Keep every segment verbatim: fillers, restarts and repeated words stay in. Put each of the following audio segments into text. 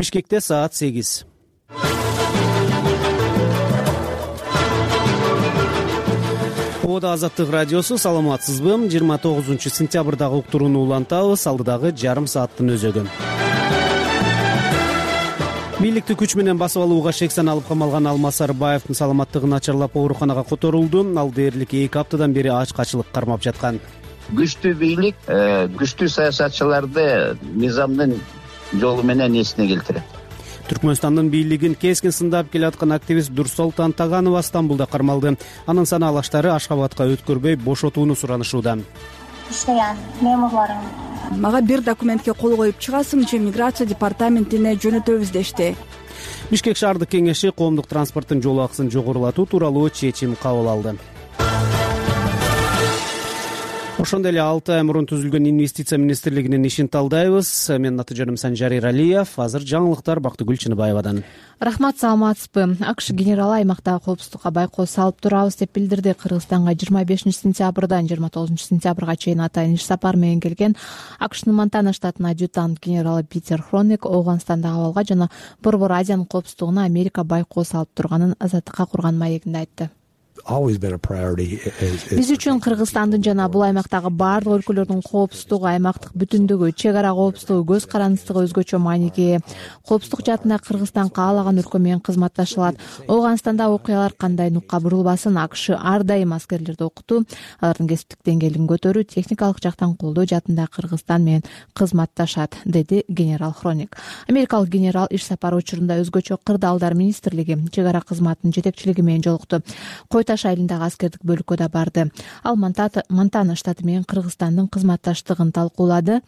Бишкекте саат сегиз. Ода Азаттык радиосу, саламатсызбы? жыйырма тогузунчу сентябрдагы уктурууну улантабыз. Алдыдагы жарым сааттын өзөгү. Бийликти күч менен басып алууга шексен алып камалган Алмаз Сарыбаевдин саламаттыгы начарлап ооруканага которулду. Ал дээрлик эки аптадан бери ачкачылык кармап жаткан. Күчтүү бийлик күчтүү саясатчыларды мыйзамдын жолу менен эсине келтирет. Түркмөнстандын бийлигин кескин сындап келаткан активист Дурсолтан Таганова Стамбулда кармалды. Анын санаалаштары Ашхабадка өткөрбөй бошотууну суранышууда. Иштеген мемурларым мага бир документке кол коюп чыгасыңчы, миграция департаментине жөнөтөбүз дешти. Бишкек шаардык кеңеши коомдук транспорттун жол акысын жогорулатуу тууралуу чечим кабыл алды. Ошондой эле алты ай мурун түзүлгөн инвестиция министрлигинин ишин талдайбыз. Менин аты жөнүм Санжар Иралиев. Азыр жаңылыктар Бактыгүл Чыныбаевадан. Рахмат, саламатсызбы? АКШ генералы аймактагы коопсуздукка байкоо салып турабыз деп билдирди. Кыргызстанга жыйырма бешинчи сентябрдан жыйырма тогузунчу сентябрга чейин атайын иш сапар менен келген АКШнын Монтана штатынын адъютант генералы Питер Хроник Ооганстандагы абалга жана Борбор Азиянын коопсуздугуна Америка байкоо салып турганын Азаттыкка курган маегинде айтты. Биз үчүн Кыргызстандын жана бул аймактагы баардык өлкөлөрдүн коопсуздугу, аймактык бүтүндүгү, чек ара коопсуздугу, көз карандысыздыгы өзгөчө мааниге ээ. Коопсуздук жаатында Кыргызстан каалаган өлкө менен кызматташа алат. Ооганстанда окуялар кандай нукка бурулбасын, АКШ ар дайым аскерлерди окутуу, алардын кесиптик деңгээлин көтөрүү, техникалык жактан колдоо жаатында Кыргызстан менен кызматташат, деди генерал Хроник. Америкалык генерал иш сапары учурунда өзгөчө кырдаалдар министрлиги, чек ара кызматынын жетекчилиги менен жолукту. Таш айылындагы аскердик бөлүккө да барды. Ал Монтана штаты менен Кыргызстандын кызматташтыгын талкуулады.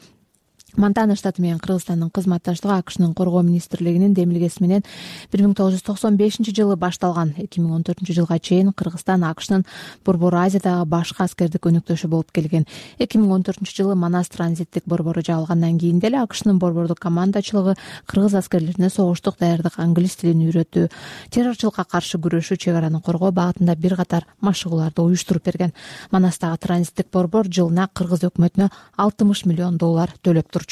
Монтана штаты менен Кыргызстандын кызматташтыгы АКШнын коргоо министрлигинин демилгеси менен бир миң тогуз жүз токсон бешинчи жылы башталган. эки миң он төртүнчү жылга чейин Кыргызстан АКШнын Борбор Азиядагы башкы аскердик өнөктөшү болуп келген. эки миң он төртүнчү жылы Манас транзиттик борбору жабылгандан кийин деле АКШнын борбордук командачылыгы кыргыз аскерлерине согуштук даярдык, англис тилин үйрөтүү, террорчулукка каршы күрөшүү, чек араны коргоо багытында бир катар машыгууларды уюштуруп берген. Манастагы транзиттик борбор жылына кыргыз өкмөтүнө алтымыш миллион доллар төлөп турчу.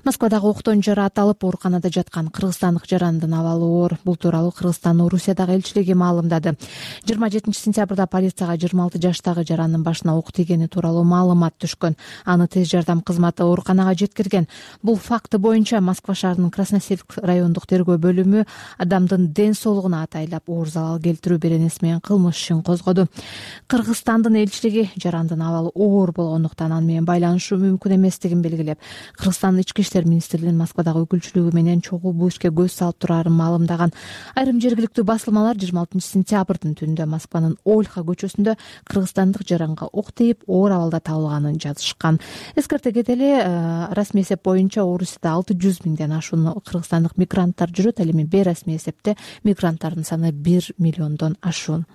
Москвадагы октон жаратылып ооруканада жаткан кыргызстандык жарандын абалы оор. Бул тууралуу Кыргызстандын Орусиядагы элчилиги маалымдады. жыйырма жетинчи сентябрда полицияга жыйырма алты жаштагы жарандын башына ок тийгени тууралуу маалымат түшкөн. Аны тез жардам кызматы ооруканага жеткирген. Бул факты боюнча Москва шаарынын Красносельск райондук тергөө бөлүмү адамдын ден соолугуна атайлап оор залал келтирүү беренеси менен кылмыш ишин козгоду. Кыргызстандын элчилиги жарандын абалы оор болгондуктан аны менен байланышуу мүмкүн эместигин белгилеп, Кыргызстан Ички иштер министрлигинин Москвадагы өкүлчүлүгү менен чогуу бул ишке көз салып турарын маалымдаган. Айрым жергиликтүү басылмалар жыйырма алтынчы сентябрдын түнүндө Москванын Ольха көчөсүндө кыргызстандык жаранга ок тийип оор абалда табылганын жазышкан. Эскерте кетели, расмий эсеп боюнча Орусияда алты жүз миңден ашуун кыргызстандык мигранттар жүрөт. Ал эми бейрасмий эсепте мигранттардын саны бир миллиондон ашуун.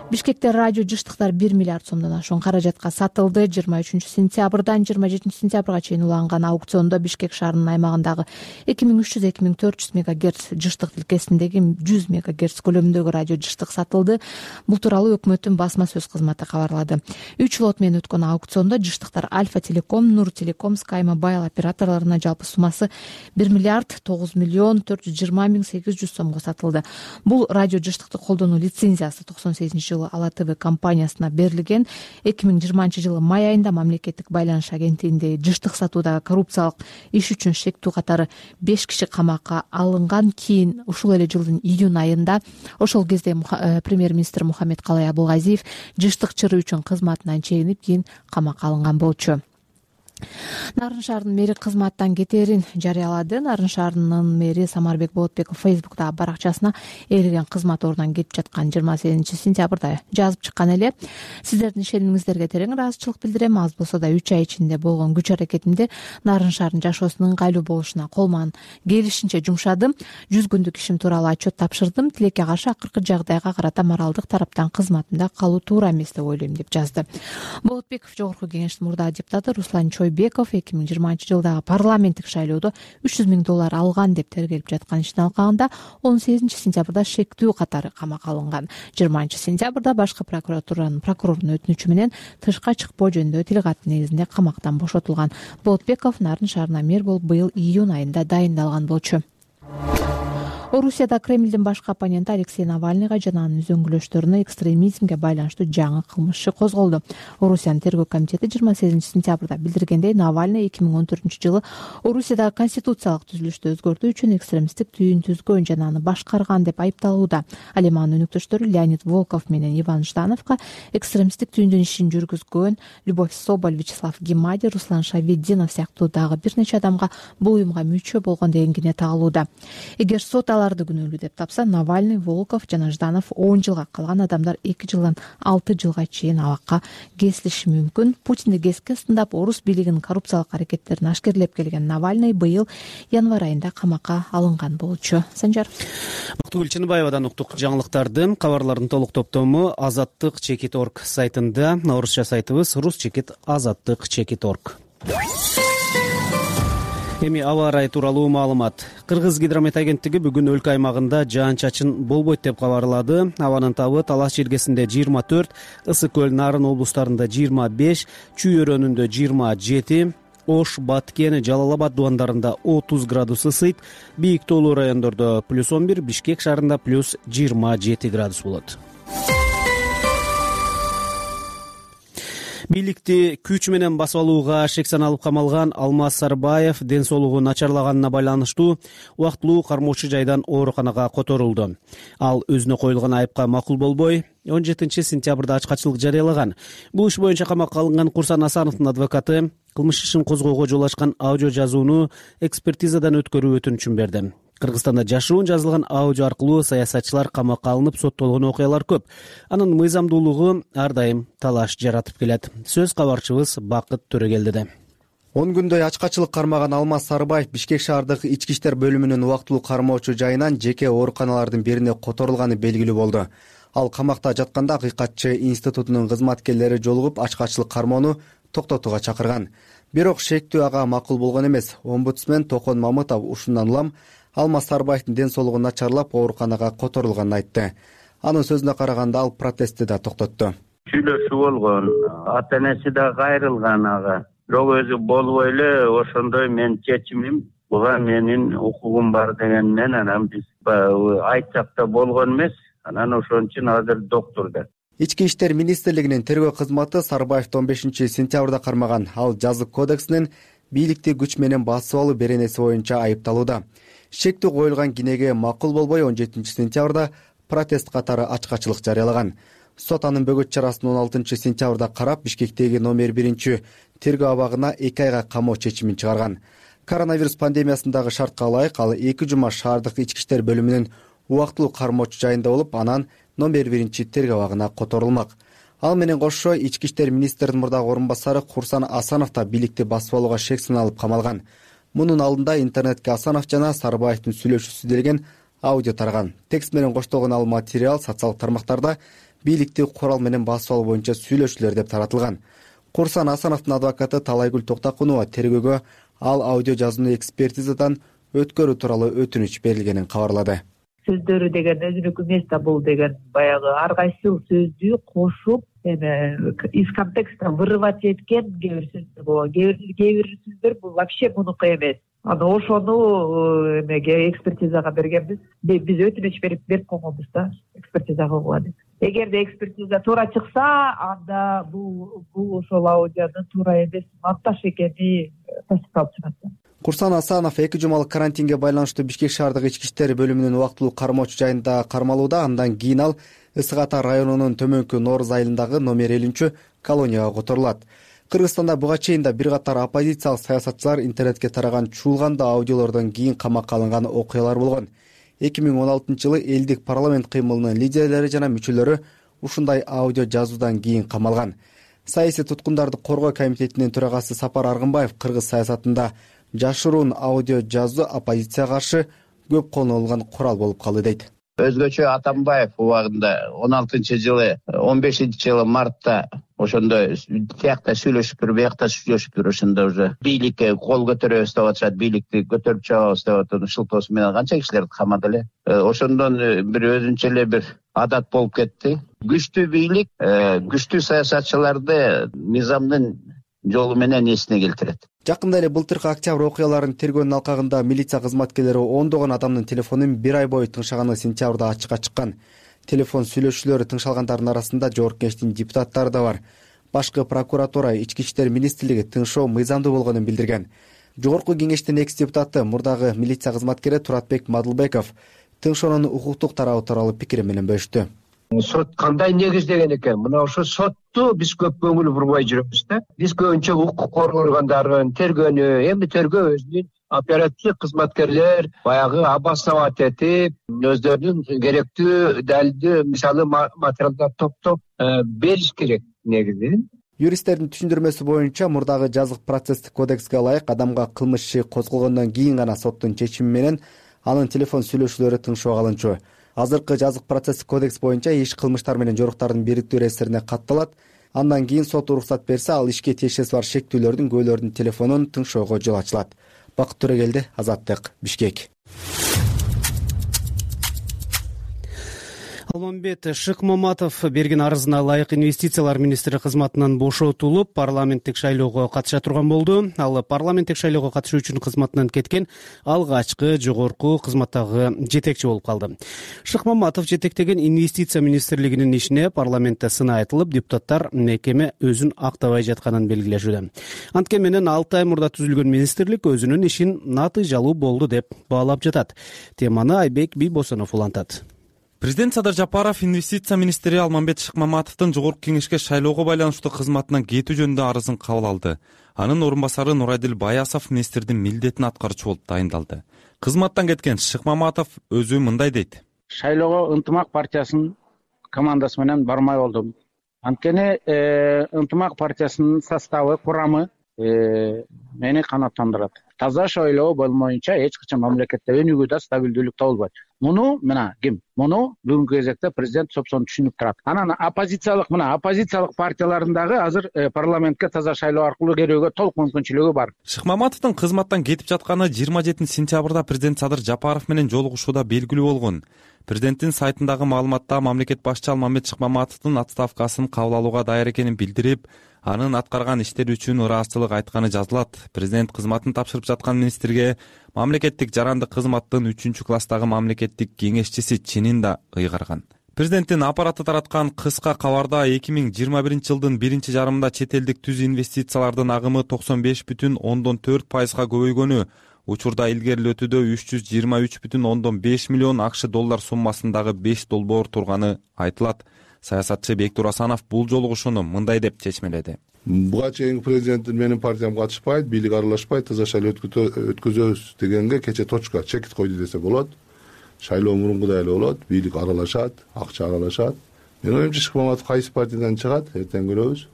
Бишкекте радио жыштыктар бир миллиард сомдон ашуун каражатка сатылды. жыйырма үчүнчү сентябрдан жыйырма жетинчи сентябрга чейин уланган аукциондо Бишкек шаарынын аймагындагы эки миң үч жүз эки миң төрт жүз мегагерц жыштык тилкесиндеги жүз мегагерц көлөмүндөгү радио жыштык сатылды. Бул тууралуу өкмөттүн басма сөз кызматы кабарлады. үч лот менен өткөн аукциондо жыштыктар Альфа Телеком, Нур Телеком, Sky Mobile операторлоруна жалпы суммасы бир миллиард тогуз миллион төрт жүз жыйырма миң сегиз жүз сомго сатылды. Бул радио жыштыкты колдонуу лицензиясы токсон сегизинчи жылы Ала ТВ компаниясына берилген. эки миң жыйырманчы жылы май айында мамлекеттик байланыш агенттигинде жыштык сатуудагы коррупциялык иш үчүн шектүү катары беш киши камакка алынган. Кийин ушул эле жылдын июнь айында ошол кезде премьер-министр Мухаммед Калай Абулгазиев жыштык чыры үчүн кызматынан чегинип, кийин камакка алынган болчу. Нарын шаарынын мэри кызматтан кетерин жарыялады. Нарын шаарынын мэри Самарбек Болотбеков Фейсбуктагы баракчасына ээлеген кызмат ордунан кетип жаткан жыйырма сегизинчи сентябрда жазып чыккан эле. Сиздердин ишенимиңиздерге терең ыраазычылык билдирем. Аз болсо да үч ай ичинде болгон күч аракетимде Нарын шаарынын жашоосунун ыңгайлуу болушуна колман келишинче жумшадым. жүз күндүк ишим тууралуу отчет тапшырдым. Тилекке каршы акыркы жагдайга карата моралдык тараптан кызматымда калуу туура эмес деп ойлойм, деп жазды. Болотбеков жогорку кеңештин мурдагы депутаты Руслан Чойбеков эки эки миң жыйырманчы жылдагы парламенттик шайлоодо үч жүз миң доллар алган деп тергелип жаткан иштин алкагында он сегизинчи сентябрда шектүү катары камакка алынган. жыйырманчы сентябрда башкы прокуратуранын прокурорунун өтүнүчү менен тышка чыкпоо жөнүндө тил кат негизинде камактан бошотулган. Болотбеков Нарын шаарына мэр болуп быйыл июнь айында дайындалган болчу. Орусияда Кремлдин башкы оппоненти Алексей Навальныйга жана анын үзөңгүлөштөрүнө экстремизмге байланыштуу жаңы кылмыш иши козголду. Орусиянын тергөө комитети жыйырма сегизинчи сентябрда билдиргендей, Навальный эки миң он төртүнчү жылы Орусиядагы конституциялык түзүлүштү өзгөртүү үчүн экстремисттик түйүн түзгөн жана аны башкарган деп айыпталууда. Ал эми анын өнөктөштөрү Леонид Волков менен Иван Ждановго экстремисттик түйүндүн ишин жүргүзгөн Любовь Соболь, Вячеслав Гемади, Руслан Шаведдинов сыяктуу дагы бир нече адамга бул уюмга мүчө болгон деген кине тагылууда. Эгер сот аларды күнөөлүү деп тапса, Навальный, Волков жана Жданов он жылга, калган адамдар эки жылдан алты жылга чейин абакка кесилиши мүмкүн. Путинди кеске сындап, орус бийлигинин коррупциялык аракеттерин ашкерлеп келген Навальный быйыл январь айында камакка алынган болчу. Санжар Бактыгүл Чыныбаевадан уктук жаңылыктарды. Кабарлардын толук топтому азаттык чекит точка орг сайтында, орусча сайтыбыз рус чекит азаттык чекит точка орг. Эми аба ырайы тууралуу маалымат. Кыргыз гидромет агенттиги бүгүн өлкө аймагында жаан-чачын болбойт деп кабарлады. Абанын табы Талас жергесинде жыйырма төрт, Ысык көл, Нарын облустарында жыйырма беш, Чүй өрөөнүндө жыйырма жети, Ош, Баткен, Жалал Абад дубандарында отуз градус ысыйт, бийик тоолуу райондордо плюс он бир, Бишкек шаарында плюс жыйырма жети градус болот. Бийликти күч менен басып алууга шек саналып камалган Алмаз Сарбаев ден соолугу начарлаганына байланыштуу убактылуу кармоочу жайдан ооруканага которулду. Ал өзүнө коюлган айыпка макул болбой, он жетинчи сентябрда ачкачылык жарыялаган. Бул иш боюнча камакка алынган Курсан Асановдун адвокаты кылмыш ишин козгоого жол ачкан аудио жазууну экспертизадан өткөрүү өтүнүчүн берди. Кыргызстанда жашыруун жазылган аудио аркылуу саясатчылар камакка алынып соттолгон окуялар көп. Анын мыйзамдуулугу ар дайым талаш жаратып келет. Сөз кабарчыбыз Бакыт Төрөгелдиде. он күндөй ачкачылык кармаган Алмаз Сарбаев Бишкек шаардык ички иштер бөлүмүнүн убактылуу кармоочу жайынан жеке ооруканалардын бирине которулганы белгилүү болду. Ал камакта жатканда Акыйкатчы институтунун кызматкерлери жолугуп ачкачылык кармоону токтотууга чакырган. Бирок шектүү ага макул болгон эмес. Омбудсмен Токон Мамытов ушундан улам Алмаз Сарбаевдин ден соолугу начарлап ооруканага которулганын айтты. Анын сөзүнө караганда ал протестти да токтотту. Сүйлөшүү болгон, ата энеси да кайрылган ага. Бирок өзү болбой эле ошондой менин чечимим, буга менин укугум бар дегеннен анан биз айтсак да болгон эмес. Анан ошон үчүн азыр доктурда. Ички иштер министрлигинин тергөө кызматы Сарбаевди он бешинчи сентябрда кармаган. Ал жазык кодексинин бийликти күч менен басып алуу беренеси боюнча айыпталууда. Шектүү коюлган кинеге макул болбой он жетинчи сентябрда протест катары ачкачылык жарыялаган. Сот анын бөгөт чарасын он алтынчы сентябрда карап, Бишкектеги номер биринчи тергөө абагына эки айга камоо чечимин чыгарган. Коронавирус пандемиясындагы шартка ылайык ал эки жума шаардык ички иштер бөлүмүнүн убактылуу кармоочу жайында болуп, анан номер биринчи тергөө абагына которулмак. Ал менен кошо ички иштер министринин мурдагы орун басары Курсан Асанов да бийликти басып алууга шек саналып камалган. Мунун алдында интернетке Асанов жана Сарбаевдин сүйлөшүүсү делген аудио тараган. Текст менен коштолгон ал материал социалдык тармактарда бийликти курал менен басып алуу боюнча сүйлөшүүлөр деп таратылган. Курсан Асановдун адвокаты Талайгүл Токтакунова тергөөгө ал аудио жазууну экспертизадан өткөрүү тууралуу өтүнүч берилгенин кабарлады. Сөздөрү деген өзүнүкү эмес да, бул деген баягы ар кайсы сөздү кошуп эме из контекста вырывать эткен кээ бир сөздөр болгон. Кээ бир сөздөр бул вообще мунуку эмес. Аны ошону эмеге экспертизага бергенбиз. Биз өтүнүч берип берип койгонбуз да, экспертиза кылгыла деп. Эгерде экспертиза туура чыкса, анда бул бул ошол аудионун туура эмес монтаж экени тастыкталып чыгат. Курсан Асанов эки жумалык карантинге байланыштуу Бишкек шаардык ички иштер бөлүмүнүн убактылуу кармоочу жайында кармалууда. Андан кийин ал Ысык Ата районунун Төмөнкү Нооруз айылындагы номер элүүнчү колонияга которулат. Кыргызстанда буга чейин да бир катар оппозициялык саясатчылар интернетке тараган чуулган аудиолордон кийин камакка алынган окуялар болгон. эки миң он алтынчы жылы элдик парламент кыймылынын лидерлери жана мүчөлөрү ушундай аудио жазуудан кийин камалган. Саясий туткундарды коргоо комитетинин төрагасы Сапар Аргынбаев кыргыз саясатында жашыруун аудио жазуу оппозицияга каршы көп колдонулган курал болуп калды дейт. Өзгөчө Атамбаев убагында он алтынчы жылы он бешинчи жылы мартта ошондо тиякта сүйлөшүп туруп биякта сүйлөшүп туруп ошондо уже бийликке кол көтөрөбүз деп атышат, бийликти көтөрүп чыгабыз деп атып шылтоосу менен канча кишилерди камады эле. Ошондон бир өзүнчө эле бир адат болуп кетти. Күчтүү бийлик күчтүү саясатчыларды мыйзамдын жолу менен эсине келтирет. Жакында эле былтыркы октябрь окуяларын тергөөнүн алкагында милиция кызматкерлери ондогон адамдын телефонун бир ай бою тыңшаганы сентябрда ачыкка чыккан. Телефон сүйлөшүүлөрү тыңшалгандардын арасында Жогорку Кеңештин депутаттары да бар. Башкы прокуратура, Ички иштер министрлиги тыңшоо мыйзамдуу болгонун билдирген. Жогорку Кеңештин экс депутаты, мурдагы милиция кызматкери Туратбек Мадылбеков тыңшоонун укуктук тарабы тууралуу пикири менен бөлүштү. Сот кандай негиздеген экен? Мына ошо сотту биз көп көңүл бурбай жүрөбүз да. Биз көбүнчө укук коргоо органдарын тергөөнү, эми тергөө өзүнүн оперативдик кызматкерлер баягы обосновать этип, өздөрүнүн керектүү далилдүү мисалы материалдарды топтоп бериш керек негизи. Юристтердин түшүндүрмөсү боюнча мурдагы жазык процесстик кодекске ылайык адамга кылмыш иши козголгондон кийин гана соттун чечими менен анын телефон сүйлөшүүлөрү тыңшоого алынчу. Азыркы жазык процесстик кодекс боюнча иш кылмыштар менен жоруктардын бириктүү реестрине катталат. Андан кийин сот уруксат берсе, ал ишке тиешеси бар шектүүлөрдүн күбөлөрдүн телефонун тыңшоого жол ачылат. Бакыт Төрөгелди, Азаттык, Бишкек. Алмамбет Шыкмаматов берген арызына ылайык инвестициялар министри кызматынан бошотулуп, парламенттик шайлоого катыша турган болду. Ал парламенттик шайлоого катышуу үчүн кызматынан кеткен алгачкы жогорку кызматтагы жетекчи болуп калды. Шыкмаматов жетектеген инвестиция министрлигинин ишине парламентте сын айтылып, депутаттар мекеме өзүн актабай жатканын белгилешүүдө. Анткени менен алты ай мурда түзүлгөн министрлик өзүнүн ишин натыйжалуу болду деп баалап жатат. Теманы Айбек Бийбосонов улантат. Президент Садыр Жапаров инвестиция министри Алмамбет Шыкмаматовдун Жогорку Кеңешке шайлоого байланыштуу кызматынан кетүү жөнүндө арызын кабыл алды. Анын орун басары Нурайдил Баясов министрдин милдетин аткаруучу болуп тайындалды. Кызматтан кеткен Шыкмаматов өзү мындай дейт. Шайлоого Ынтымак партиясынын командасы менен бармай болдум. Анткени Ынтымак партиясынын составы, курамы мени канааттандырат. Таза шайлоо болмоюнча эч качан мамлекетте өнүгүүдө стабилдүүлүк табылбайт. Муну мына ким? Муну бүгүнкү кезекте президент сопсон түшүнүп турат. Анан оппозициялык мына оппозициялык партиялардын дагы азыр парламентке таза шайлоо аркылуу кирүүгө толук мүмкүнчүлүгү бар. Шыкмаматовдун кызматтан кетип жатканы жыйырма жетинчи сентябрда президент Садыр Жапаров менен жолугушууда белгилүү болгон. Президенттин сайтындагы маалыматта мамлекет башчы Алмамбет Шыкмаматовдун отставкасын кабыл алууга даяр экенин билдирип, анын аткарган иштери үчүн ыраазычылык айтканы жазылат. Президент кызматын тапшырып жаткан министрге мамлекеттик жарандык кызматтын үчүнчү класстагы мамлекеттик кеңешчиси чынын да ыйгарган. Президенттин аппараты тараткан кыска кабарда эки миң жыйырма биринчи жылдын биринчи жарымында чет элдик түз инвестициялардын агымы токсон беш бүтүн ондон төрт пайызга көбөйгөнү, учурда илгерилетүүдө үч жүз жыйырма үч бүтүн ондон беш миллион акш доллар суммасындагы беш долбоор турганы айтылат. Саясатчы Бектур Асанов бул жолугушууну мындай деп чечмеледи. Буга чейинки президент менин партиям катышпайт, бийлик аралашпайт, таза шайлоо өткөзөбүз дегенге кече точка чекит койду десе болот. Шайлоо мурункудай эле болот, бийлик аралашат, акча аралашат. Менин оюмча Шыкмаматов кайсы партиядан чыгат, эртең көрөбүз.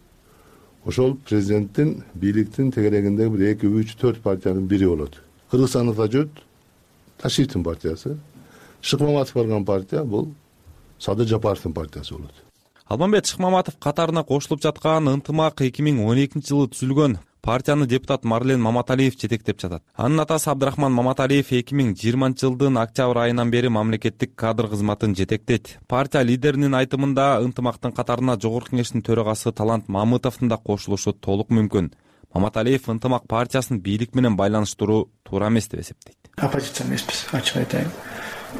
Ошол президенттин, бийликтин тегерегиндеги бир эки, үч, төрт партиянын бири болот. Кыргызстанда жут Ташиевдин партиясы, Шыкмаматов барган партия бул Садыр Жапаровдун партиясы болот. Алмамбет Шыкмаматов катарына кошулуп жаткан Ынтымак эки миң он экинчи жылы түзүлгөн партияны депутат Марлен Маматалиев жетектеп жатат. Анын атасы Абдрахман Маматалиев эки миң жыйырманчы жылдын октябрь айынан бери мамлекеттик кадр кызматын жетектейт. Партия лидеринин айтымында Ынтымактын катарына Жогорку Кеңештин төрагасы Талант Мамытовдун да кошулушу толук мүмкүн. Маматалиев Ынтымак партиясын бийлик менен байланыштыруу туура эмес деп эсептейт. Оппозиция эмеспиз, ачык айтайын.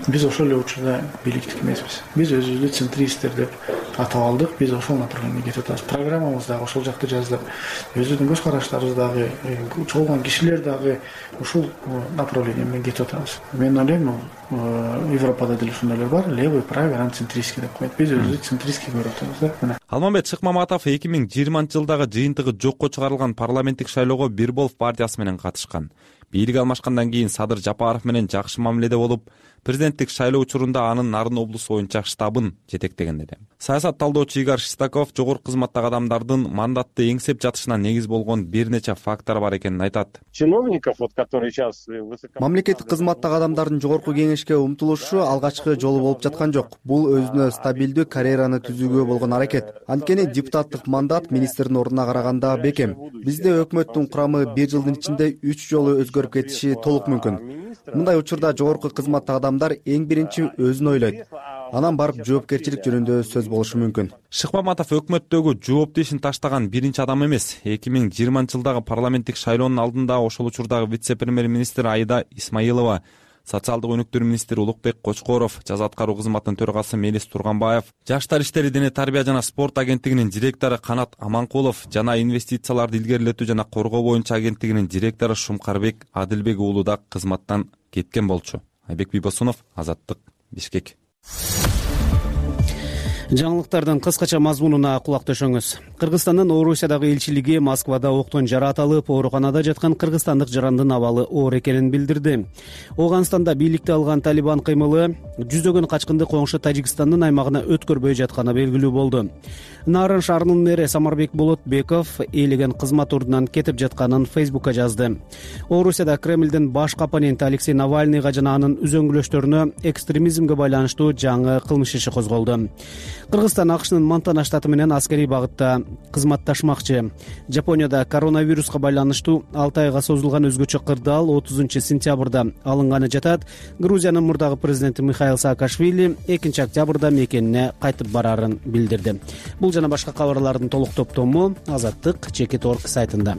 Биз ошол эле учурда бийликтик эмеспиз. Биз өзүбүздү центристтер деп атап алдык. Биз ошол направленияда кетип атабыз. Программабыз дагы ошол жакта жаздык. Өзүбүздүн көз караштарыбыз дагы, чогулган кишилер дагы ушул направление менен кетип атабыз. Мен ойлойм, Европада деле ушундайлар бар, левый, правый, анан центристский деп коет. Биз өзүбүздү центристский көрүп атабыз да. Алмамбет Шыкмаматов эки миң жыйырманчы жылдагы жыйынтыгы жокко чыгарылган парламенттик шайлоого Бир Болуп партиясы менен катышкан. бийлик алмашкандан кийин Садыр Жапаров менен жакшы мамиледе болуп, президенттик шайлоо учурунда анын Нарын облусу боюнча штабын жетектеген эле. Саясат талдоочу Игорь Шестаков жогорку кызматтагы адамдардын мандатты эңсеп жатышына негиз болгон бир нече фактор бар экенин айтат. Чиновников, вот которые сейчас мамлекеттик кызматтагы адамдардын жогорку кеңешке умтулушу алгачкы жолу болуп жаткан жок. Бул өзүнө стабилдүү карьераны түзүүгө болгон аракет. Анткени депутаттык мандат министрдин ордуна караганда бекем. Бизде өкмөттүн курамы бир жылдын ичинде үч жолу өзгөрүп кетиши толук мүмкүн. Мындай учурда жогорку кызматтагы адамдар эң биринчи өзүн ойлойт. Анан барып жоопкерчилик жөнүндө сөз болушу мүмкүн. Шыкмаматов өкмөттөгү жоопту ишин таштаган биринчи адам эмес. эки миң жыйырманчы жылдагы парламенттик шайлоонун алдында ошол учурдагы вице-премьер-министр Айда Исмаилова, социалдык өнүктүрүү министри Улукбек Кочкоров, жаза аткаруу кызматынын төрагасы Мелис Турганбаев, Жаштар иштери, дене тарбия жана спорт агенттигинин директору Канат Аманкулов жана инвестицияларды илгерилетүү жана коргоо боюнча агенттигинин директору Шумкарбек Адилбек уулу да кызматтан кеткен болчу. Айбек Бибосунов, Азаттык, Бишкек. Жаңылыктардын кыскача мазмунуна кулак төшөңүз. Кыргызстандын Орусиядагы элчилиги Москвада октон жаратылып, ооруканада жаткан кыргызстандык жарандын абалы оор экенин билдирди. Ооганстанда бийликти алган Талибан кыймылы жүздөгөн качкынды коңшу Тажикстандын аймагына өткөрбөй жатканы белгилүү болду. Нарын шаарынын мэри Самарбек Болотбеков ээлеген кызмат ордунан кетип жатканын Фейсбукка жазды. Орусияда Кремлдин баш оппоненти Алексей Навальныйга жана анын үзөңгүлөштөрүнө экстремизмге байланыштуу жаңы кылмыш иши козголду. Кыргызстан АКШнын Монтана штаты менен аскерий багытта кызматташмакчы. Жапонияда коронавируска байланыштуу алты айга созулган өзгөчө кырдаал отузунчу сентябрда алынганы жатат. Грузиянын мурдагы президенти Михаил Саакашвили экинчи октябрда мекенине кайтып барарын билдирди. Бул жана башка кабарлардын толук топтому Азаттык Чекит точка орг сайтында.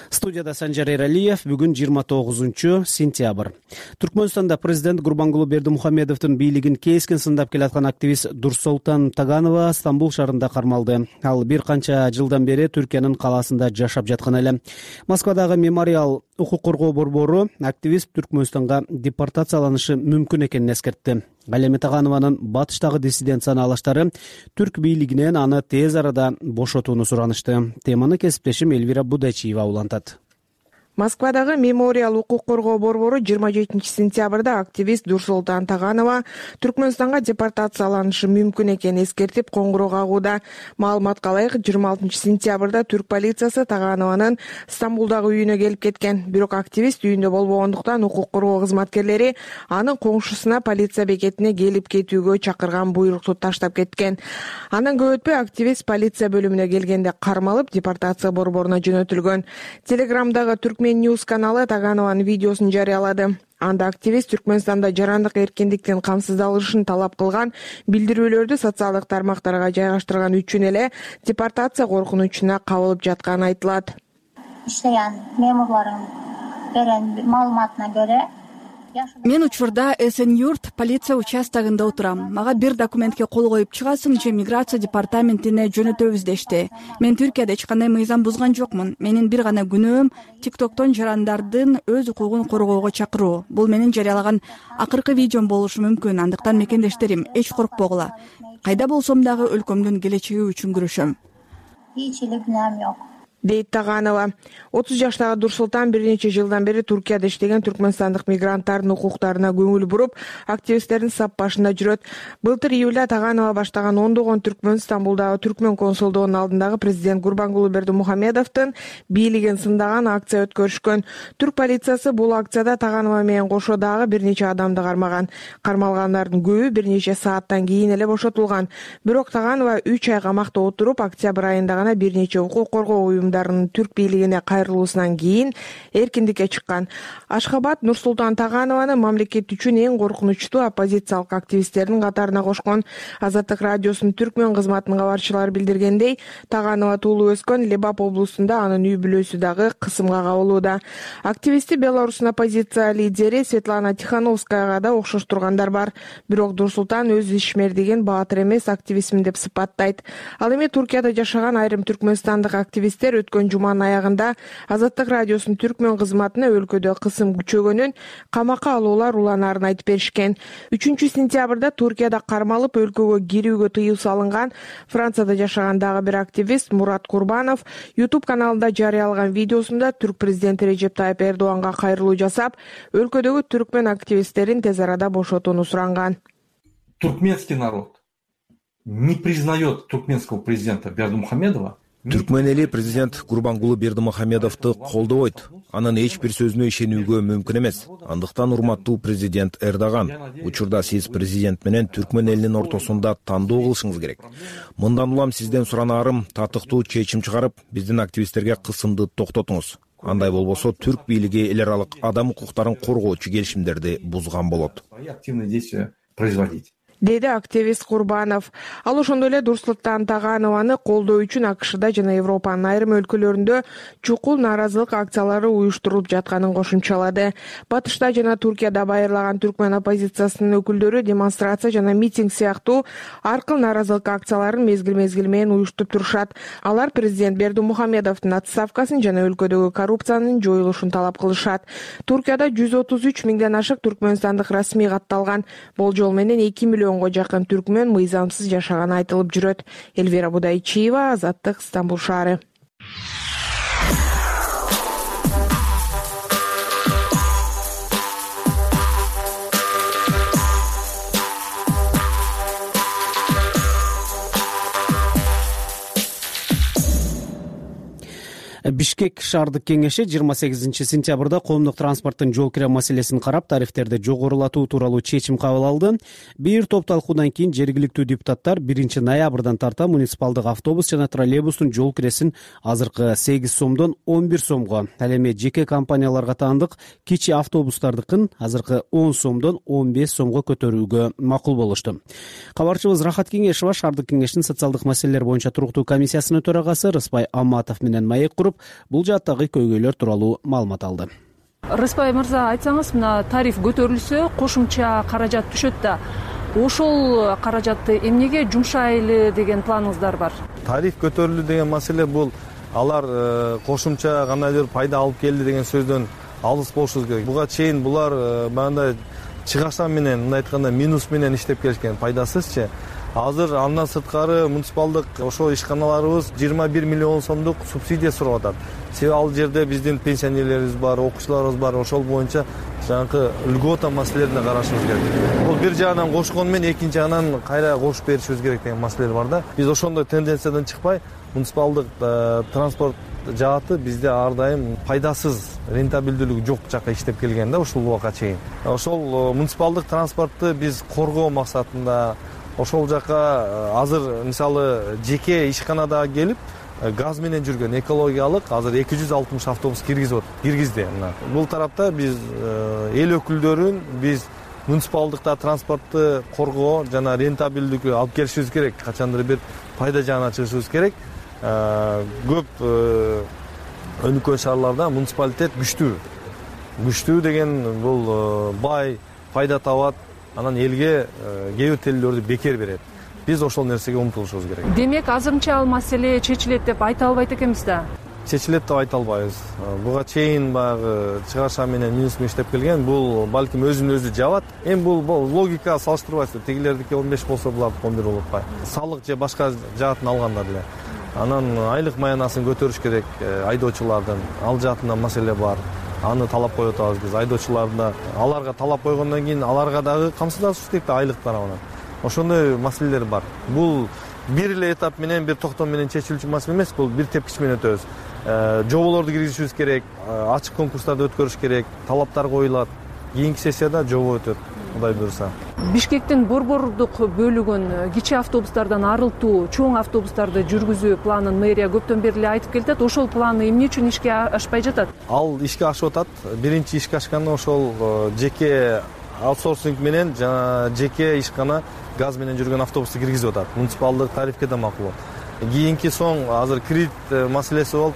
Студияда Санжар Эралиев. Бүгүн жыйырма тогузунчу сентябрь. Түркмөнстанда президент Гурбангулы Бердимухамедовдун бийлигин кескен сындап келаткан активист Дурсултан Таганова Стамбул шаарында кармалды. Ал бир канча жылдан бери Түркиянын калаасында жашап жаткан эле. Москвадагы Мемориал укук коргоо борбору активист Түркмөнстанга депортацияланышы мүмкүн экенин эскертти. Ал эми Таганованын батыштагы диссидент санаалаштары түрк бийлигинен аны тез арада бошотууну суранышты. Теманы кесиптешим Элвира Будачиева улантат. Москвадагы Мемориал укук коргоо борбору жыйырма жетинчи сентябрда активист Дурсултан Таганова Түркмөнстанга депортацияланышы мүмкүн экенин эскертип коңгуроо кагууда. Маалыматка ылайык, жыйырма алтынчы сентябрда түрк полициясы Таганованын Стамбулдагы үйүнө келип кеткен. Бирок активист үйүндө болбогондуктан укук коргоо кызматкерлери анын коңшусуна полиция бекетине келип кетүүгө чакырган буйрукту таштап кеткен. Андан көп өтпөй активист полиция бөлүмүнө келгенде кармалып, депортация борборуна жөнөтүлгөн. Телеграмдагы түрк Ньюс каналы Таганованын видеосун жарыялады. Анда активист Түркмөнстанда жарандык эркиндиктин камсыздалышын талап кылган билдирүүлөрдү социалдык тармактарга жайгаштырган үчүн эле депортация коркунучуна кабылып жатканы айтылат. Иштеген мемурларым берген маалыматына көрө мен учурда Эсен-Юрт полиция участогунда отурам. Мага бир документке кол коюп чыгасың же миграция департаментине жөнөтөбүз дешти. Мен Түркияда эч кандай мыйзам бузган жокмун. Менин бир гана күнөөм тиктоктон жарандардын өз укугун коргоого чакыруу. Бул менин жарыялаган акыркы видеом болушу мүмкүн. Андыктан мекендештерим, эч коркпогула. Кайда болсом дагы өлкөмдүн келечеги үчүн күрөшөм. Эч эле күнөөм жок, дейт Таганова. отуз жаштагы Дурсултан бир нече жылдан бери Түркияда иштеген түркмөнстандык мигранттардын укуктарына көңүл буруп, активисттердин сап башында жүрөт. Былтыр июлда Таганова баштаган ондогон түркмөн Стамбулдагы түркмөн консулдугунун алдындагы президент Гурбангулы Бердимухамедовдун бийлигин сындаган акция өткөрүшкөн. Түрк полициясы бул акцияда Таганова менен кошо дагы бир нече адамды кармаган. Кармалгандардын көбү бир нече сааттан кийин эле бошотулган. Бирок Таганова үч ай камакта отуруп, октябрь айында гана бир нече укук коргоо уюмдарынын түрк бийлигине кайрылуусунан кийин эркиндикке чыккан. Ашхабад Нурсултан Таганованы мамлекет үчүн эң коркунучтуу оппозициялык активисттердин катарына кошкон. Азаттык радиосунун түркмөн кызматынын кабарчылары билдиргендей, Таганова туулуп өскөн Лебап облусунда, анын үй бүлөсү дагы кысымга кабылууда. Активисти Беларустун оппозиция лидери Светлана Тихановскаяга да окшош тургандар бар. Бирок Дурсултан өз ишмердигин баатыр эмес активистмин деп сыпаттайт. Ал эми Туркияда жашаган айрым түркмөнстандык активисттер өткөн жуманын аягында Азаттык радиосунун түркмөн кызматына өлкөдө кысым күчөгөнүн, камакка алуулар уланарын айтып беришкен. үчүнчү сентябрда Туркияда кармалып өлкөгө кирүүгө тыюу салынган Францияда жашаган дагы бир активист Мурат Курбанов YouTube каналында жарыялаган видеосунда түрк президенти Режеп Тайып Эрдоганга кайрылуу жасап, өлкөдөгү түркмөн активисттерин тез арада бошотууну суранган. Туркменский народ не признает туркменского президента Бердымухамедова. Түркмөн эли президент Курбангулы Бердымухамедовду колдобойт. Анын эч бир сөзүнө ишенүүгө мүмкүн эмес. Андыктан урматтуу президент Эрдоган, учурда сиз президент менен түркмөн элинин ортосунда тандоо кылышыңыз керек. Мындан улам сизден суранаарым татыктуу чечим чыгарып, биздин активисттерге кысымды токтотуңуз. Андай болбосо түрк бийлиги эл аралык адам укуктарын коргоочу келишимдерди бузган болот. Активные действия производить. Деди активист Курбанов. Ал ошондой эле Дурсултан Таганованы колдоо үчүн АКШда жана Европанын айрым өлкөлөрүндө чукул нааразылык акциялары уюштурулуп жатканын кошумчалады. Батышта жана Туркияда байырлаган түркмөн оппозициясынын өкүлдөрү демонстрация жана митинг сыяктуу ар кыл нааразылык акцияларын мезгил-мезгил менен уюштуруп турушат. Алар президент Бердымухамедовдун отставкасын жана өлкөдөгү коррупциянын жоюлушун талап кылышат. Туркияда жүз отуз үч миңден ашык түркмөнстандык расмий катталган. Болжол менен эки миллионго жакын түркмөн мыйзамсыз жашаганы айтылып жүрөт. Элвира Будайчиева, Азаттык, Стамбул шаары. Бишкек шаардык кеңеши жыйырма сегизинчи сентябрда коомдук транспорттун жол кире маселесин карап, тарифтерди жогорулатуу тууралуу чечим кабыл алды. Бир топ талкуудан кийин жергиликтүү депутаттар биринчи ноябрдан тарта муниципалдык автобус жана троллейбустун жол киресин азыркы сегиз сомдон он бир сомго, ал эми жеке компанияларга таандык кичи автобустардыкын азыркы он сомдон он беш сомго көтөрүүгө макул болушту. Кабарчыбыз Рахат Кеңешова шаардык кеңештин социалдык маселелер боюнча туруктуу комиссиясынын төрагасы Рыспай Амматов менен маек куруп, бул жааттагы көйгөйлөр тууралуу маалымат алды. Рыспай мырза, айтсаңыз, мына тариф көтөрүлсө, кошумча каражат түшөт да. Ошол каражатты эмнеге жумшайлы деген планыңыздар бар? Тариф көтөрүлдү деген маселе бул алар кошумча кандайдыр пайда алып келди деген сөздөн алыс болушубуз керек. Буга чейин булар мындай чыгашан менен, мындай айтканда минус менен иштеп келишкен, пайдасызчы. Азыр андан сырткары муниципалдык ошол ишканаларыбыз жыйырма бир миллион сомдук субсидия сурап атат. Себеби ал жерде биздин пенсионерлерибиз бар, окуучуларыбыз бар, ошол боюнча жанакы льгота маселелерине карашыбыз керек. Бул бир жагынан кошкону менен экинчи жагынан кайра кошуп беришибиз керек деген маселелер бар да. Биз ошондой тенденциядан чыкпай, муниципалдык транспорт жааты бизде ар дайым пайдасыз, рентабелдүүлүгү жок жакка иштеп келген да ушул убакка чейин. Ошол муниципалдык транспортты биз коргоо максатында ошол жака азыр мисалы жеке ишканада келип газ менен жүргөн экологиялык азыр эки жүз алтымыш автобус киргизип киргизди. Бул тарапта биз эл өкүлдөрүн, биз муниципалдыкта транспортты коргоо жана рентабелдүүлүккө алып келишибиз керек. Качандыр бир пайда жагына чыгышыбыз керек. Көп өнүккөн шаарларда муниципалитет күчтүү. Күчтүү деген бул бай, пайда табат. Анан элге кээ бир телелөрдү бекер берет. Биз ошол нерсеге умтулушубуз керек. Демек, азырынча ал маселе чечилет деп айта албайт экенбиз да. Чечилет деп айта албайбыз. Буга чейин баягы чыгаша менен минус менен иштеп келген, бул балким өзүн өзү жабат. Эми бул логика салыштырбайсыздар. Тегилердики он беш болсо булардыкы он бир болуп атпайбы? Салык же башка жаатын алгандар эле. Анан айлык маянасын көтөрүш керек айдоочулардын. Ал жаатында маселе бар. Аны талап коюп атабыз биз. Айдоочуларда аларга талап койгондон кийин аларга дагы камсыздашыбыз керек да айлык тарабынан. Ошондой маселелер бар. Бул бир эле этап менен, бир токтом менен чечилүүчү маселе эмес, бул бир тепкич менен өтөбүз. Жоболорду киргизишибиз керек, ачык конкурстарды өткөрүш керек, талаптар коюлат. Кийинки сессияда жобо өтөт, Кудай буйруса. Бишкектин борбордук бөлүгүн кичи автобустардан арылтуу, чоң автобустарды жүргүзүү планын мэрия көптөн бери эле айтып келатат. Ошол план эмне үчүн ишке ашпай жатат? Ал ишке ашып атат. Биринчи ишке ашканы ошол жеке аутсорсинг менен жана жеке ишкана газ менен жүргөн автобусту киргизип атат. Муниципалдык тарифке да макул. Кийинки соң азыр кредит маселеси болуп,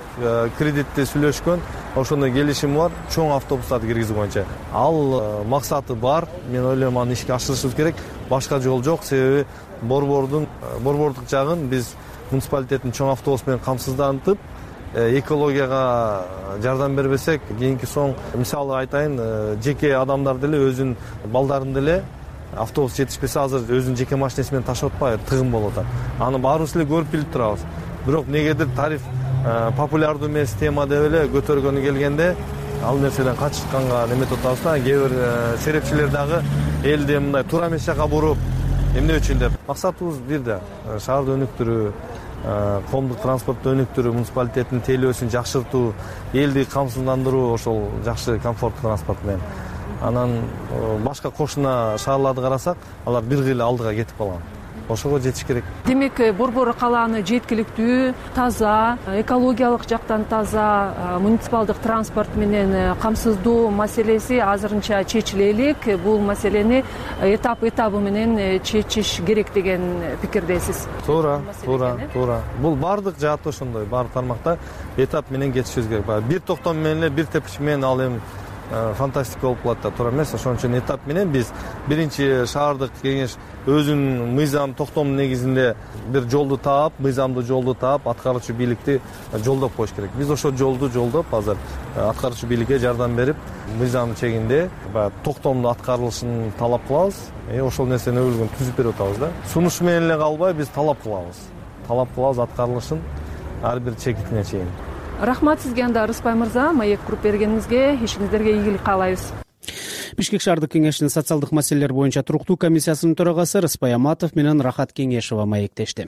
кредитти сүйлөшкөн, ошондой келишим бар, чоң автобустарды киргизүү боюнча. Ал максаты бар, мен ойлойм аны ишке ашырышыбыз керек. Башка жол жок, себеби борбордун борбордук жагын биз муниципалитеттин чоң автобус менен камсыздантып, экологияга жардам бербесек кийинки соң мисалы айтайын, жеке адамдар деле өзүнүн балдарын деле автобус жетишпесе азыр өзүнүн жеке машинеси менен таштап атпайбы, тыгын болуп атат. Аны баарыбыз эле көрүп билип турабыз. Бирок негедир тариф популярдуу эмес тема деп эле көтөргөнү келгенде ал нерседен качканга неметип атабыз да. Кээ бир серепчилер дагы элди мындай туура эмес жака буруп, эмне үчүн деп. Максатыбыз бир да шаарды өнүктүрүү, коомдук транспортту өнүктүрүү, муниципалитеттин тейлөөсүн жакшыртуу, элди камсыздандыруу, ошол жакшы комфорттуу транспорт менен. Анан башка кошуна шаарларды карасак, алар бир кыйла алдыга кетип калган. Ошого жетиш керек. Демек, Борбор калааны жеткиликтүү, таза, экологиялык жактан таза, муниципалдык транспорт менен камсыздоо маселеси азырынча чечиле элек. Бул маселени этап этабы менен чечиш керек деген пикирдесиз. Туура, туура, туура. Бул бардык жаатта ошондой, бардык тармакта этап менен кетишибиз керек. Бир токтом менен эле, бир тепкич менен ал эми фантастика болуп калат да, туура эмес. Ошон үчүн этап менен биз биринчи шаардык кеңеш өзүнүн мыйзам токтомунун негизинде бир жолду таап, мыйзамдуу жолду таап, аткаруучу бийликти жолдоп коюш керек. Биз ошол жолду жолдоп азыр аткаруучу бийликке жардам берип, мыйзам чегинде баягы токтомдун аткарылышын талап кылабыз. Э ошол нерсени өлгөн түзүп берип атабыз да. Сунуш менен эле калбай биз талап кылабыз. Талап кылабыз аткарылышын ар бир чекитине чейин. Рахмат сизге анда Рыспай мырза, маек куруп бергениңизге, ишиңиздерге ийгилик каалайбыз. Бишкек шаардык кеңешинин социалдык маселелер боюнча туруктуу комиссиясынын төрагасы Рыспай Аматов менен Рахат Кеңешова маектешти.